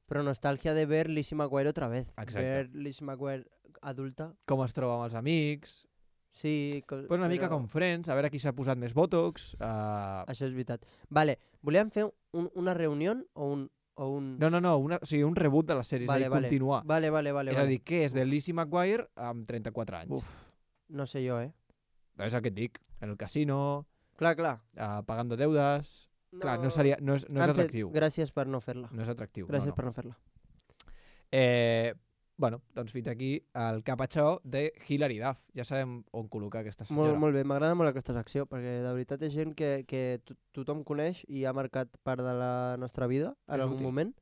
però nostàlgia de ver Lizzie McGuire otra vez. Exacte. Ver Lizzie McGuire adulta. Com es troba amb els amics, Sí, co- pues una mica però com Friends, a veure qui s'ha posat més botox. Uh... Això és veritat. Vale, volíem fer un, una reunió o un... O un... No, no, no, una, o sigui, un reboot de la sèrie, vale, és a dir, vale. continuar. Vale, vale, vale. és vale. a dir, què és de Lizzie McGuire amb trenta-quatre anys? Uf, no sé jo, eh? És el que et dic, en el casino, Clar, clar. uh, pagando deudes... Clar, no, seria, no, és, no és Han fet- atractiu. Gràcies per no fer-la. No és atractiu. Gràcies no, no. per no fer-la. Eh, bueno, doncs fins aquí el capatxó de Hilary Duff. Ja sabem on col·locar aquesta senyora. Molt, molt bé, m'agrada molt aquesta secció, perquè de veritat és gent que, que to tothom coneix i ha marcat part de la nostra vida en És algun útil. moment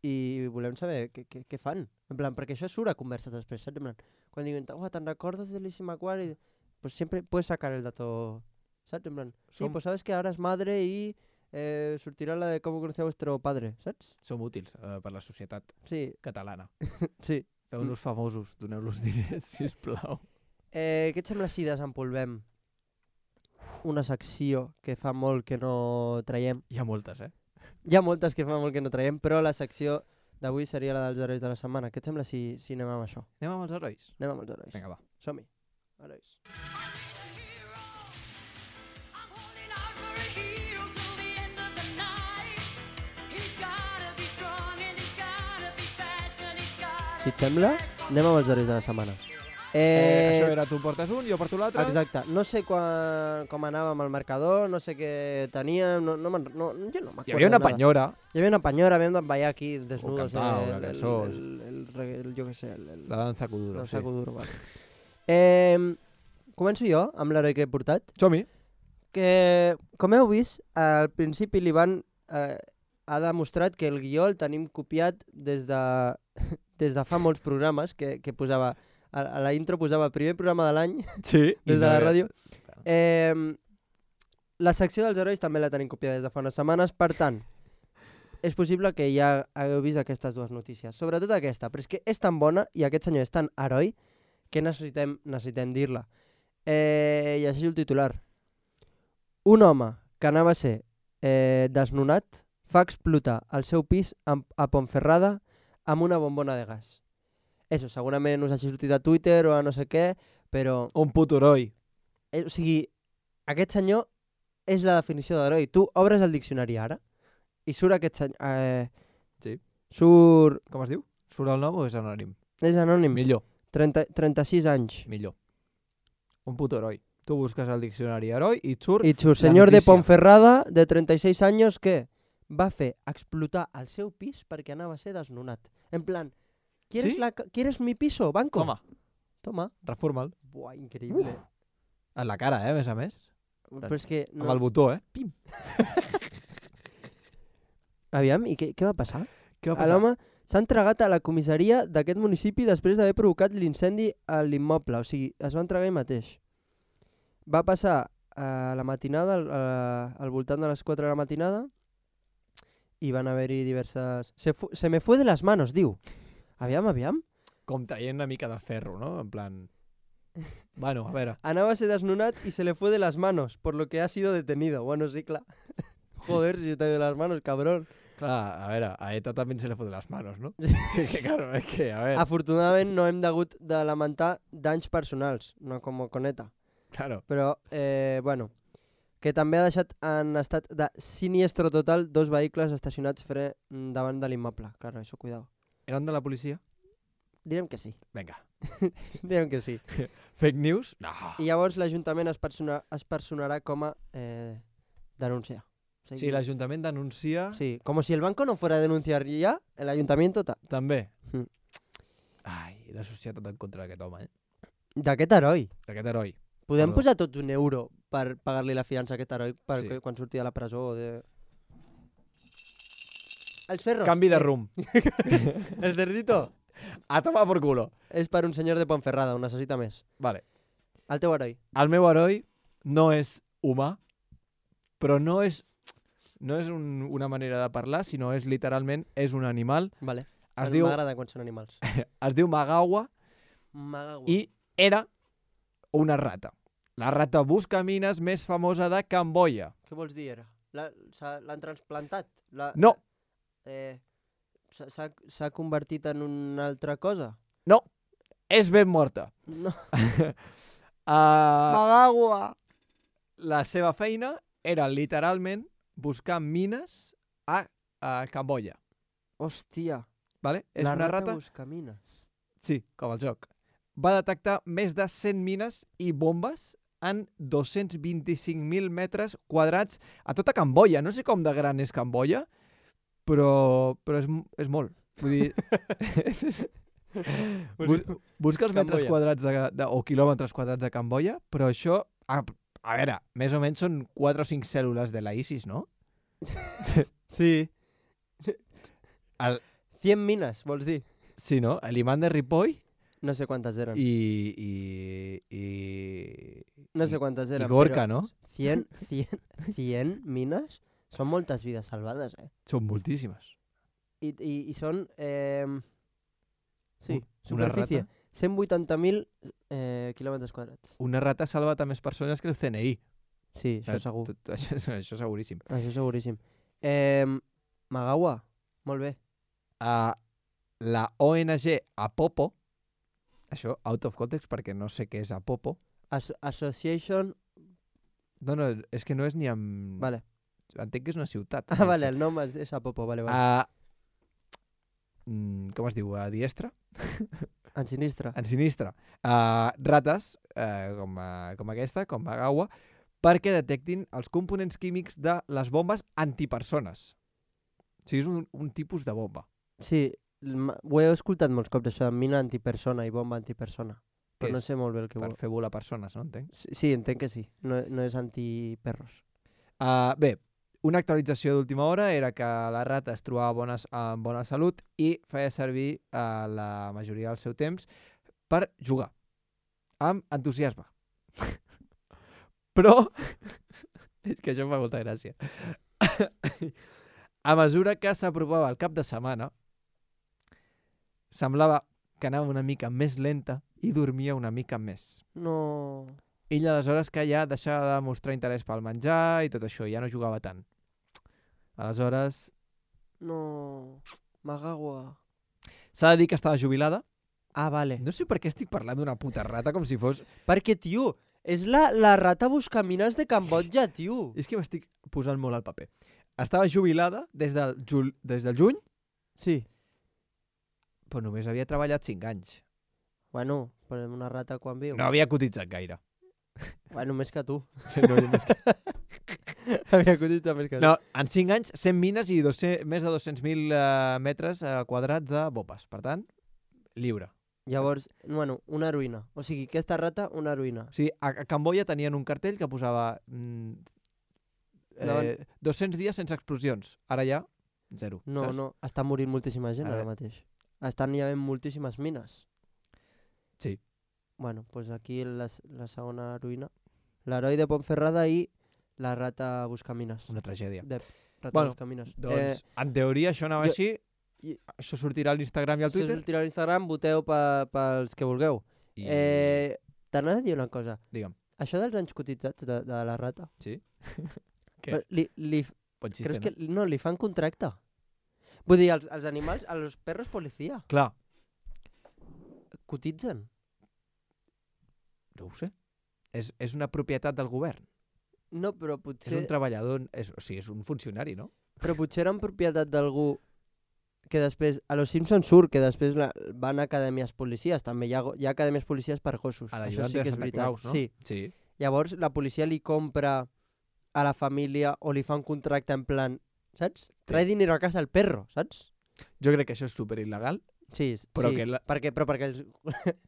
i volem saber què, què, què fan. En plan, perquè això surt a converses després, saps? En plan, quan diuen, oh, ¿te'n recordes de Lizzie McGuire? Pues siempre puedes sacar el dato, ¿sabes? En plan, sí, Som- pues sabes que ahora es madre y eh, sortirà la de cómo conocía vuestro padre, saps? Som útils eh, per la societat Sí, catalana. sí. Feu-nos famosos, doneu-los diners, sisplau. Eh, què et sembla si desempolvem una secció que fa molt que no traiem? Hi ha moltes, eh? Hi ha moltes que fa molt que no traiem, però la secció d'avui seria la dels herois de la setmana. Què et sembla si, si anem amb això? Anem amb els herois? Anem amb els herois. Vinga, va. Som-hi. Herois. I'm holding out for a hero till the end of the night. He's gotta be strong and he's gotta be fast and he's gotta Si et sembla, anem amb els herois de la setmana. Eh, Eh, això era tu portes un, jo porto l'altre. Exacte. No sé quan, com anàvem al marcador, no sé què teníem, no, no, me'n- no, jo no m'acuerdo Hi havia una de nada. penyora. Hi havia una penyora, havíem d'emballar aquí desnudos. cantar eh, una el, cançó. el, el, el, reggae- el, jo què sé, el, el, La danza kuduro, el sí. saco duro, vale. Eh, començo jo amb l'heroi que he portat. Som-hi. Que, com heu vist, al principi l'Ivan eh, ha demostrat que el guió el tenim copiat des de, des de fa molts programes, que, que posava, a, a la intro posava el primer programa de l'any, Sí. des de la ràdio. Eh, la secció dels herois també la tenim copiada des de fa unes setmanes, per tant, és possible que ja hagueu vist aquestes dues notícies. Sobretot aquesta, però és que és tan bona i aquest senyor és tan heroi que necessitem, necessitem dir-la. Eh, I així el titular. Un home que anava a ser eh, desnonat fa explotar el seu pis amb, a Ponferrada amb una bombona de gas. Eso, segurament us hagi sortit a Twitter o a no sé què, però... Un puto heroi. Eh, o sigui, aquest senyor és la definició d'heroi. Tu obres el diccionari ara i surt aquest senyor... Eh, Sí. Surt... Com es diu? Surt el nom o és anònim? És anònim. Millor, trenta, trenta-sis anys. millor. Un puto heroi. Tu busques al diccionari heroi i et surt... I surt, la senyor de notícia. Ponferrada, de trenta-seis anys, que va fer explotar el seu pis perquè anava a ser desnonat. En plan, ¿quieres, ¿Sí? la, ca- ¿quieres mi piso, banco? Toma, Toma. reforma'l. Buah, increïble. En la cara, eh, a més a més. Però és que... Amb el botó, eh? Pim. Aviam, i què, què va passar? Què va A passar? l'home s'ha entregat a la comissaria d'aquest municipi després d'haver provocat l'incendi a l'immoble. O sigui, es va entregar ell mateix. Va passar a la matinada, al, a- al voltant de les quatre de la matinada, i van haver-hi diverses... Se, fu se me fue de les manos, diu. Aviam, aviam. com traient una mica de ferro, no? En plan... Bueno, a veure... Anava a ser desnonat y se le fue de las manos, por lo que ha sido detenido. Bueno, sí, clar. Joder, si te de las manos, cabrón. Clar, a veure, a ETA també se le fot de les manos, no? Sí, que claro, és que, a veure... Afortunadament no hem degut de lamentar danys personals, no com con ETA. Claro. Però, eh, bueno, que també ha deixat en estat de siniestro total dos vehicles estacionats fre mm, davant de l'immoble. Claro, eso, cuidado. Eren de la policia? Direm que sí. Vinga. Direm que sí. Fake news? No. I llavors l'Ajuntament es, persona, es personarà com a eh, denunciar. O sigui, Sí, l'Ajuntament denuncia... Sí, como si el banco no fuera a denunciar ya, el ayuntamiento... Ta... També. Mm. Ai, la societat en contra d'aquest home, eh? D'aquest heroi. D'aquest heroi. Podem Perdó. posar tots un euro per pagar-li la fiança a aquest heroi per Sí. que, quan surti de la presó o de... Els ferros. Canvi de eh, rumb. El cerdito A tomar por culo. és per un senyor de Ponferrada, ho necessita més. Vale. El teu heroi. El meu heroi no és humà, però no és, no és un, una manera de parlar, sinó és literalment, és un animal. Vale. Es diu, M'agrada quan són animals. es diu Magawa Magagua. i era una rata. La rata buscamines més famosa de Camboya. Què vols dir, era? La- s'ha- L'han transplantat? La, No. Eh, s'ha- S'ha s'ha convertit en una altra cosa? No, és ben morta. No. Uh, Magagua! la seva feina era literalment buscar mines a, a Camboya. Hòstia. Vale? És la una rata, rata... buscamines. Sí, com el joc. Va detectar més de cent mines i bombes en dos-cents vint-i-cinc mil metres quadrats a tota Camboya. No sé com de gran és Camboya, però, però és, m- és molt. Vull dir... Bus, busca els metres Camboya. quadrats de, de, o quilòmetres quadrats de Camboya, però això... A, a veure, més o menys són quatre o cinc cèl·lules de la ISIS, no? Sí. El, cent mines, vols dir? sí, no? L'imant de Ripoll No sé quantes eren. i... i, i no sé quantes i eren. Gorka, però no? cent, cent, cent mines són moltes vides salvades, eh? Són moltíssimes. I, i, i són... Eh, sí, Un- una superfície. rata? cent vuitanta mil eh, quilòmetres quadrats. Una rata ha salvat a més persones que el C N I. Sí, això Eh, segur. tot- Això, això seguríssim. Això seguríssim. Eh, Magawa, molt bé. Uh, la O N G Apopo, això, out of context, perquè no sé què és Apopo. As Association... No, no, és que no és ni amb... Vale. Entenc que és una ciutat. Ah, vale, el nom és, és Apopo, vale, vale. Uh, mm, com es diu? A diestra? En sinistre. En sinistre. Uh, rates, uh, com, uh, com aquesta, com Magawa, perquè detectin els components químics de les bombes antipersones. O sigui, és un, un tipus de bomba. Sí, l- ho he escoltat molts cops, això de mina antipersona i bomba antipersona. Què Però no és? sé molt bé el que Per vol. fer volar persones, no entenc? Sí, sí, entenc que sí. No, no és antiperros. Uh, bé, una actualització d'última hora era que la rata es trobava bones, en bona salut i feia servir uh, la majoria del seu temps per jugar, amb entusiasme. Però, és que això em fa molta gràcia, a mesura que s'apropava el cap de setmana, semblava que anava una mica més lenta i dormia una mica més. No... Ell aleshores que ja deixava de mostrar interès pel menjar i tot això, ja no jugava tant. Aleshores, No... Magawa... s'ha de dir que estava jubilada. Ah, vale. No sé per què estic parlant d'una puta rata com si fos... Perquè, tio, és la, la rata buscamines de Cambodja, tio. És que m'estic posant molt al paper. Estava jubilada des del, jul... des del juny, Sí. però només havia treballat cinc anys. Bueno, però una rata quan viu. No havia cotitzat gaire. Bueno, més que tu. No, més que... Havia cotitzat més que tu. no, en cinc anys, cent mines i dos-cents, més de dos-cents mil uh, metres uh, quadrats de bombes. Per tant, lliure. Llavors, bueno, una heroïna. O sigui, aquesta rata, una heroïna. O sigui, a, a Camboya tenien un cartell que posava mm, eh, dos-cents dies sense explosions. Ara ja, zero. No, saps? no, està morint moltíssima gent A ara veure. mateix. Estan hi havent moltíssimes mines. Sí. Bueno, doncs pues aquí la, s- la segona heroïna. L'heroi de Pontferrada i la rata buscamines. Una tragèdia. De rata Bueno, buscamines. Doncs, eh, en teoria, això anava jo- així I, Això sortirà a l'Instagram i al això Twitter? sortirà a l'Instagram, voteu pe- pels que vulgueu. I... Eh, T'anava a dir una cosa. Digue'm. Això dels anys cotitzats de, de la rata. Sí? Què? Li, li, Pot xiste, creus no? que no, li fan contracte? Vull dir, els, els animals, els perros policia, Clar, cotitzen. no ho sé. És, és una propietat del govern. No, però És potser, un treballador, és, o sigui, és un funcionari, no? però potser eren propietat d'algú que després, a los Simpsons surt que després la, van a acadèmies policies, també hi ha, go- hi ha acadèmies policies per gossos. A Això l'ajudant sí de que és Santa veritat. Claus, no? Sí. Sí. Llavors la policia li compra a la família o li fa un contracte en plan, saps? Trae dinero a casa al perro, saps? Jo crec que això és super il·legal. Sí, s- Però sí. que la- perquè, però perquè els,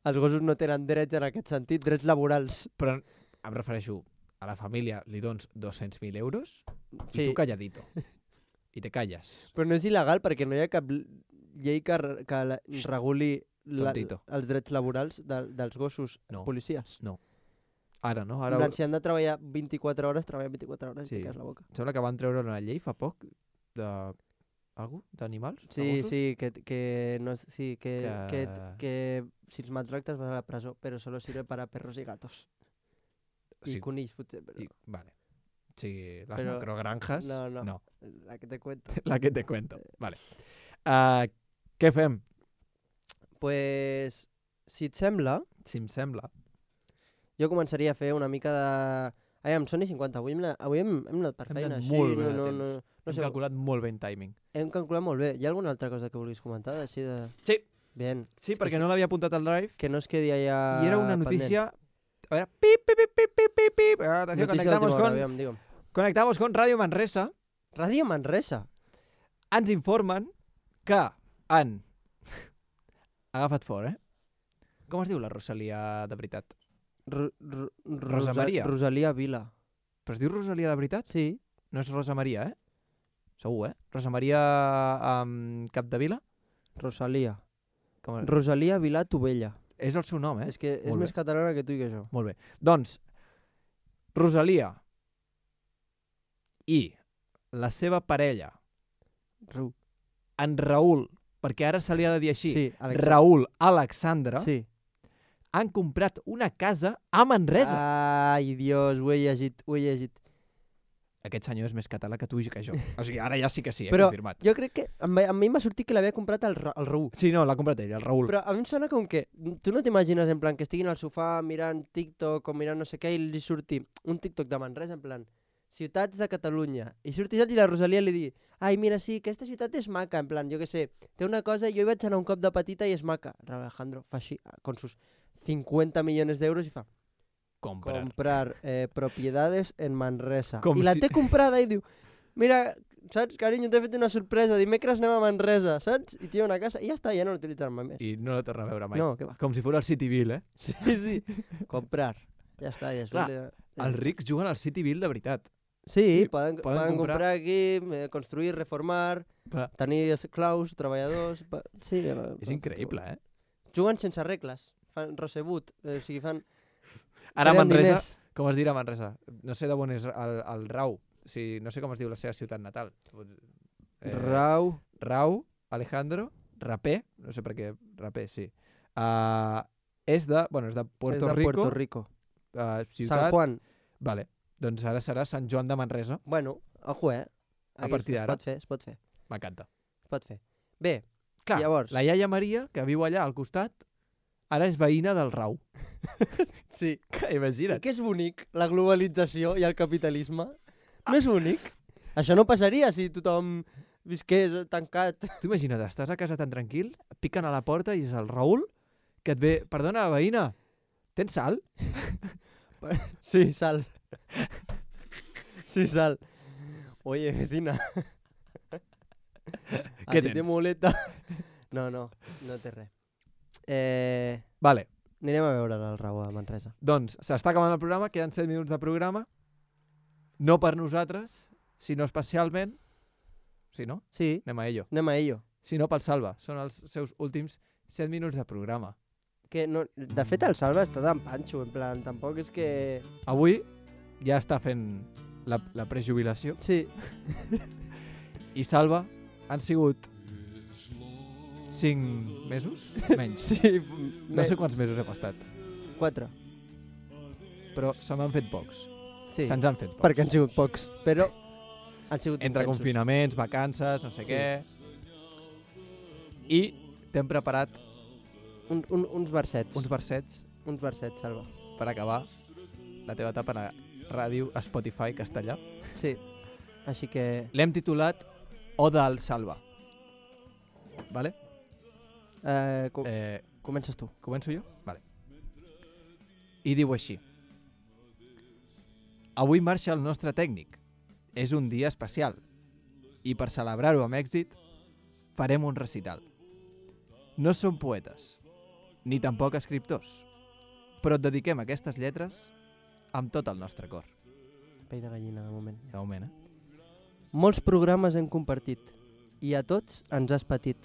els gossos no tenen drets en aquest sentit, drets laborals. Però em refereixo, a la família li dones dos-cents mil euros Sí. i tu calladito. I te calles. Però no és il·legal perquè no hi ha cap l- llei que, re- que la, reguli la, Tontito. els drets laborals de, dels gossos No. policies. Ara, no? Ara... Ara En plan, si han de treballar vint-i-quatre hores, treballen vint-i-quatre hores Sí. i te quedes la boca. em sembla que van treure una llei fa poc de... Algú? D'animals? De Sí, gossos? sí, que, que, no, és- sí que, que... Que- Que, si els maltractes vas a la presó, però solo sirve para perros y gatos. I Sí. conills, potser, però... I, vale. Sí, les Però- macrogranjas... No, no. no. La que te cuento. La que te cuento. Vale. Uh, què fem? Pues, si et sembla, Si em sembla. jo començaria a fer una mica de... Ai, em són i cinquanta. Avui hem, anat- avui hem, hem anat per Hem feina. anat així, molt bé no, de no, temps. no, no Hem sé, calculat molt bé en timing. hem calculat molt bé. Hi ha alguna altra cosa que vulguis comentar? Així de... Sí. Bien. Sí, És que perquè no l'havia apuntat al drive. Que no es quedi allà I era una pendent. notícia... A veure, pip, pip, pip, pip, pip, pip, pip. Atenció, Notícia conectamos d'última hora, con, aviam, digue'm. conectamos con Radio Manresa. Ràdio Manresa. Ens informen que han agafat fort, eh? Com es diu la Rosalia de veritat? Ro Ro Rosa Rosa- Maria. Rosalia Vila. Però es diu Rosalia de veritat? Sí. No és Rosa Maria, eh? Segur, eh? Rosa Maria um, Capdevila? Rosalia. Com és? Rosalia Vila Tovella. És el seu nom, eh? És que és Molt més bé. catalana que tu i que jo. Molt bé. Doncs, Rosalia i la seva parella, Ru. en Raül, perquè ara se li ha de dir així, Sí, Alexa. Raül Alexandra, Sí. han comprat una casa a Manresa. Ai, Dios, ho he llegit, ho he llegit. Aquest senyor és més català que tu i que jo. O sigui, ara ja sí que sí, he Però confirmat. jo crec que a mi, a mi m'ha sortit que l'havia comprat el, Ra- el Raül. Sí, no, l'ha comprat ell, el Raül. Però a mi em sona com que tu no t'imagines en plan que estiguin al sofà mirant TikTok o mirant no sé què i li surti un TikTok de Manresa en plan ciutats de Catalunya i surti saps, i la Rosalia li digui ai mira sí, aquesta ciutat és maca en plan jo què sé, té una cosa, jo hi vaig anar un cop de petita i és maca. Alejandro fa així con sus cincuenta millones d'euros i fa comprar. comprar eh, propiedades en Manresa. Com I la si- té comprada i diu mira, saps, carinyo, t'he fet una sorpresa, dimecres anem a Manresa, saps? I té una casa i ja està, ja no l'utilitzarà mai més. I no la torna a veure mai. No, què va. Com si fos el Cityville, eh? Sí, sí. Comprar. Ja està, ja és Clar, ja- Els rics juguen al Cityville de veritat. Sí, sí, poden, poden poden, comprar- comprar aquí, eh, construir, reformar, Clar. tenir esclaus, treballadors... Pa... Sí, eh, És increïble, eh? Juguen sense regles, fan recebut, eh, o sigui, fan... Ara a creen Manresa, diners. com es dirà a Manresa? No sé d'on és el, el Rau. O sigui, no sé com es diu la seva ciutat natal. Eh, Rau... Rau, Alejandro, Rapé, no sé per què, Rapé, sí. Uh, és de, bueno, és de Puerto és de Rico. Puerto Rico. Uh, ciutat... San Juan. Vale, doncs ara serà Sant Joan de Manresa. Bueno, ojo, eh? A Aquí partir es d'ara. pot fer, es pot fer, M'encanta. es pot fer. Bé, Clar, Llavors- la iaia Maria, que viu allà al costat, ara és veïna del Rau. sí. I Imagina't. què és bonic? La globalització i el capitalisme? No és bonic? Això no passaria si tothom visqués tancat. Tu imagina't, estàs a casa tan tranquil, et piquen a la porta i és el Raül que et ve... Perdona, veïna, tens sal? Sí, sal. Sí, sal. Oye, vecina. Què ¿A ti te tens? molesta? No, no, no té res. Eh, Vale, anirem a veure el Raül a Manresa. doncs s'està acabant el programa, queden set minuts de programa. No per nosaltres, sinó especialment... Sí, no? Sí, Anem a ello. anem a ello. Sinó pel Salva. Són els seus últims set minuts de programa. Que no, de fet, el Salva està tan panxo, en plan, tampoc és que... Avui ja està fent la, la prejubilació Sí, i Salva han sigut cinc mesos? Menys. Sí, No sé quants mesos hem estat, Quatre. però se m'han fet pocs. Sí, Se'ns han fet pocs. perquè han sigut pocs, però han sigut Entre intensos. confinaments, vacances, no sé Sí. què... I t'hem preparat Un, un, uns versets. uns versets Uns versets, Salva. per acabar la teva etapa a ràdio Spotify castellà. Sí, així que... L'hem titulat Oda al Salva. Vale? Eh, com, Eh, comences tu. començo jo? Vale. I diu així. Avui marxa el nostre tècnic. És un dia especial. I per celebrar-ho amb èxit, farem un recital. No som poetes, ni tampoc escriptors, però et dediquem aquestes lletres amb tot el nostre cor. Pell de gallina, de moment. De moment, eh? Molts programes hem compartit i a tots ens has patit.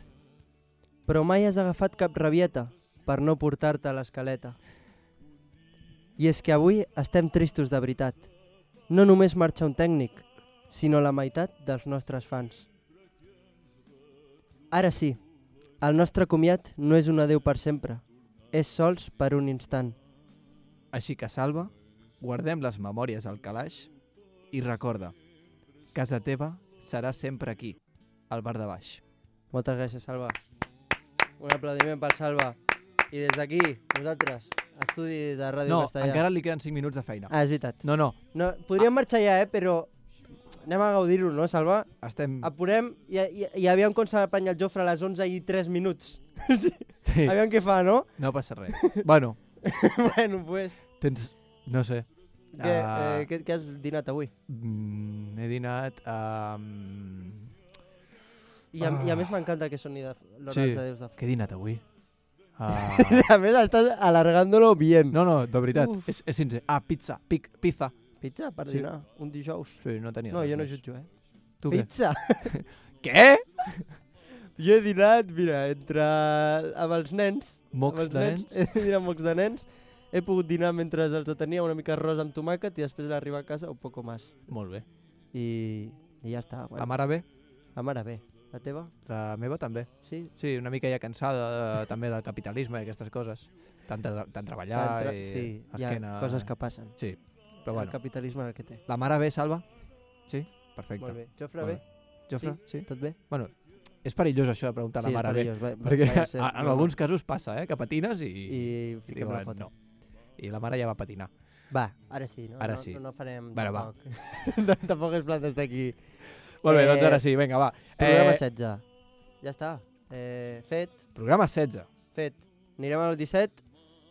Però mai has agafat cap rabieta per no portar-te a l'escaleta. I és que avui estem tristos de veritat. No només marxa un tècnic, sinó la meitat dels nostres fans. Ara sí, el nostre comiat no és un adéu per sempre, és sols per un instant. Així que, Salva, guardem les memòries al calaix i recorda, casa teva serà sempre aquí, al bar de baix. Moltes gràcies, Salva. Un aplaudiment pel Salva. I des d'aquí, nosaltres, estudi de Ràdio No, Castellà. encara li queden cinc minuts de feina. Ah, és veritat. No, no, No, podríem marxar ja, eh, però anem a gaudir-ho, no, Salva? estem... Apurem i, i, i aviam com se l'apanya el Jofre a les onze i tres minuts. sí. Sí, Aviam què fa, no? no passa res. Bueno, bueno, pues... tens... No sé. Què, Ah. eh, què, què has dinat avui? Mm, he dinat... Um... I a, i a Ah. més m'encanta que soni de l'hora Sí. dels adeus de... Què he dinat avui? Uh... A més, estàs alargándolo bien. No, no, de veritat, Uf. és, és sincer. Ah, pizza, pic, pizza. Pizza per Sí. dinar, un dijous. Sí, no tenia No, res jo no més. jutjo, eh? Tu què? Pizza! Què? Jo he dinat, mira, entre... amb els nens... Mocs amb els de nens? He dinat mocs de nens. He pogut dinar mentre els tenia una mica arròs amb tomàquet i després d'arribar a casa un poco más. Molt bé. I, i ja està. Bueno. La mare bé? La mare bé. La teva? La meva també. Sí? Sí, una mica ja cansada eh, també del capitalisme i aquestes coses. Tant, tra tant treballar Tant tra- i sí, esquena... hi ha coses que passen. Sí, però El bueno. capitalisme el que té. La mare bé, Salva? Sí? Perfecte. Molt bé. Jofre, Molt bé? Jofre, sí? Tot bé? Bueno, és perillós això de preguntar sí, a la mare bé. és perillós. Va, Perquè vaya a ser, a- en no, alguns casos passa, eh? Que patines i... I fiquem la diuen, foto. no. I la mare ja va patinar. Va, ara sí, no? Ara no, sí. No, no farem Bueno, va. tampoc. tampoc es plan d'estar aquí. Molt bé, Eh, doncs ara sí, vinga, va. Programa Eh, setze. Ja està. Eh, fet, programa setze. fet. Anirem al disset.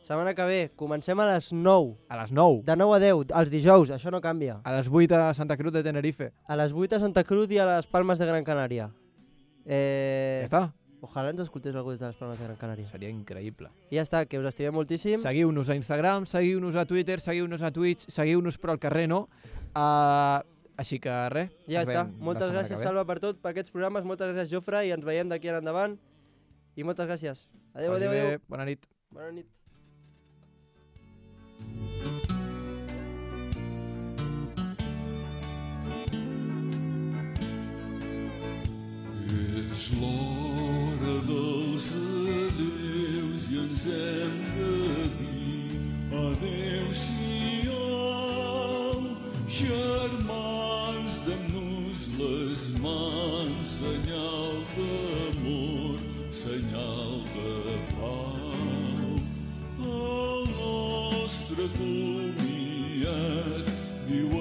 Setmana que ve, comencem a les nou. A les nou. De nou a deu, els dijous, això no canvia. A les vuit a Santa Cruz de Tenerife. A les vuit a Santa Cruz i a les Palmes de Gran Canària. Eh, Ja està? Ojalà ens escoltés algú des de les Palmes de Gran Canària. Seria increïble. I ja està, que us estimem moltíssim. Seguiu-nos a Instagram, seguiu-nos a Twitter, seguiu-nos a Twitch, seguiu-nos però al carrer no. Uh, així que res. Ja ens està. veiem la Moltes setmana gràcies, que ve. Salva, per tot, per aquests programes. Moltes gràcies, Jofre, i ens veiem d'aquí en endavant. I moltes gràcies. Adéu, Vagi adéu, bé, adéu. Bona nit. Bona nit. És l'hora dels adeus i ens hem de dir adéu-siau, germans, dem-nos les mans, senyal d'amor, senyal de pau. El nostre comiat diu a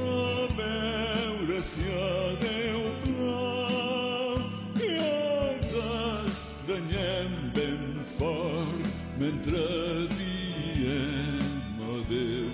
reveure si adéu plau i ens estranyem ben fort mentre diem adéu.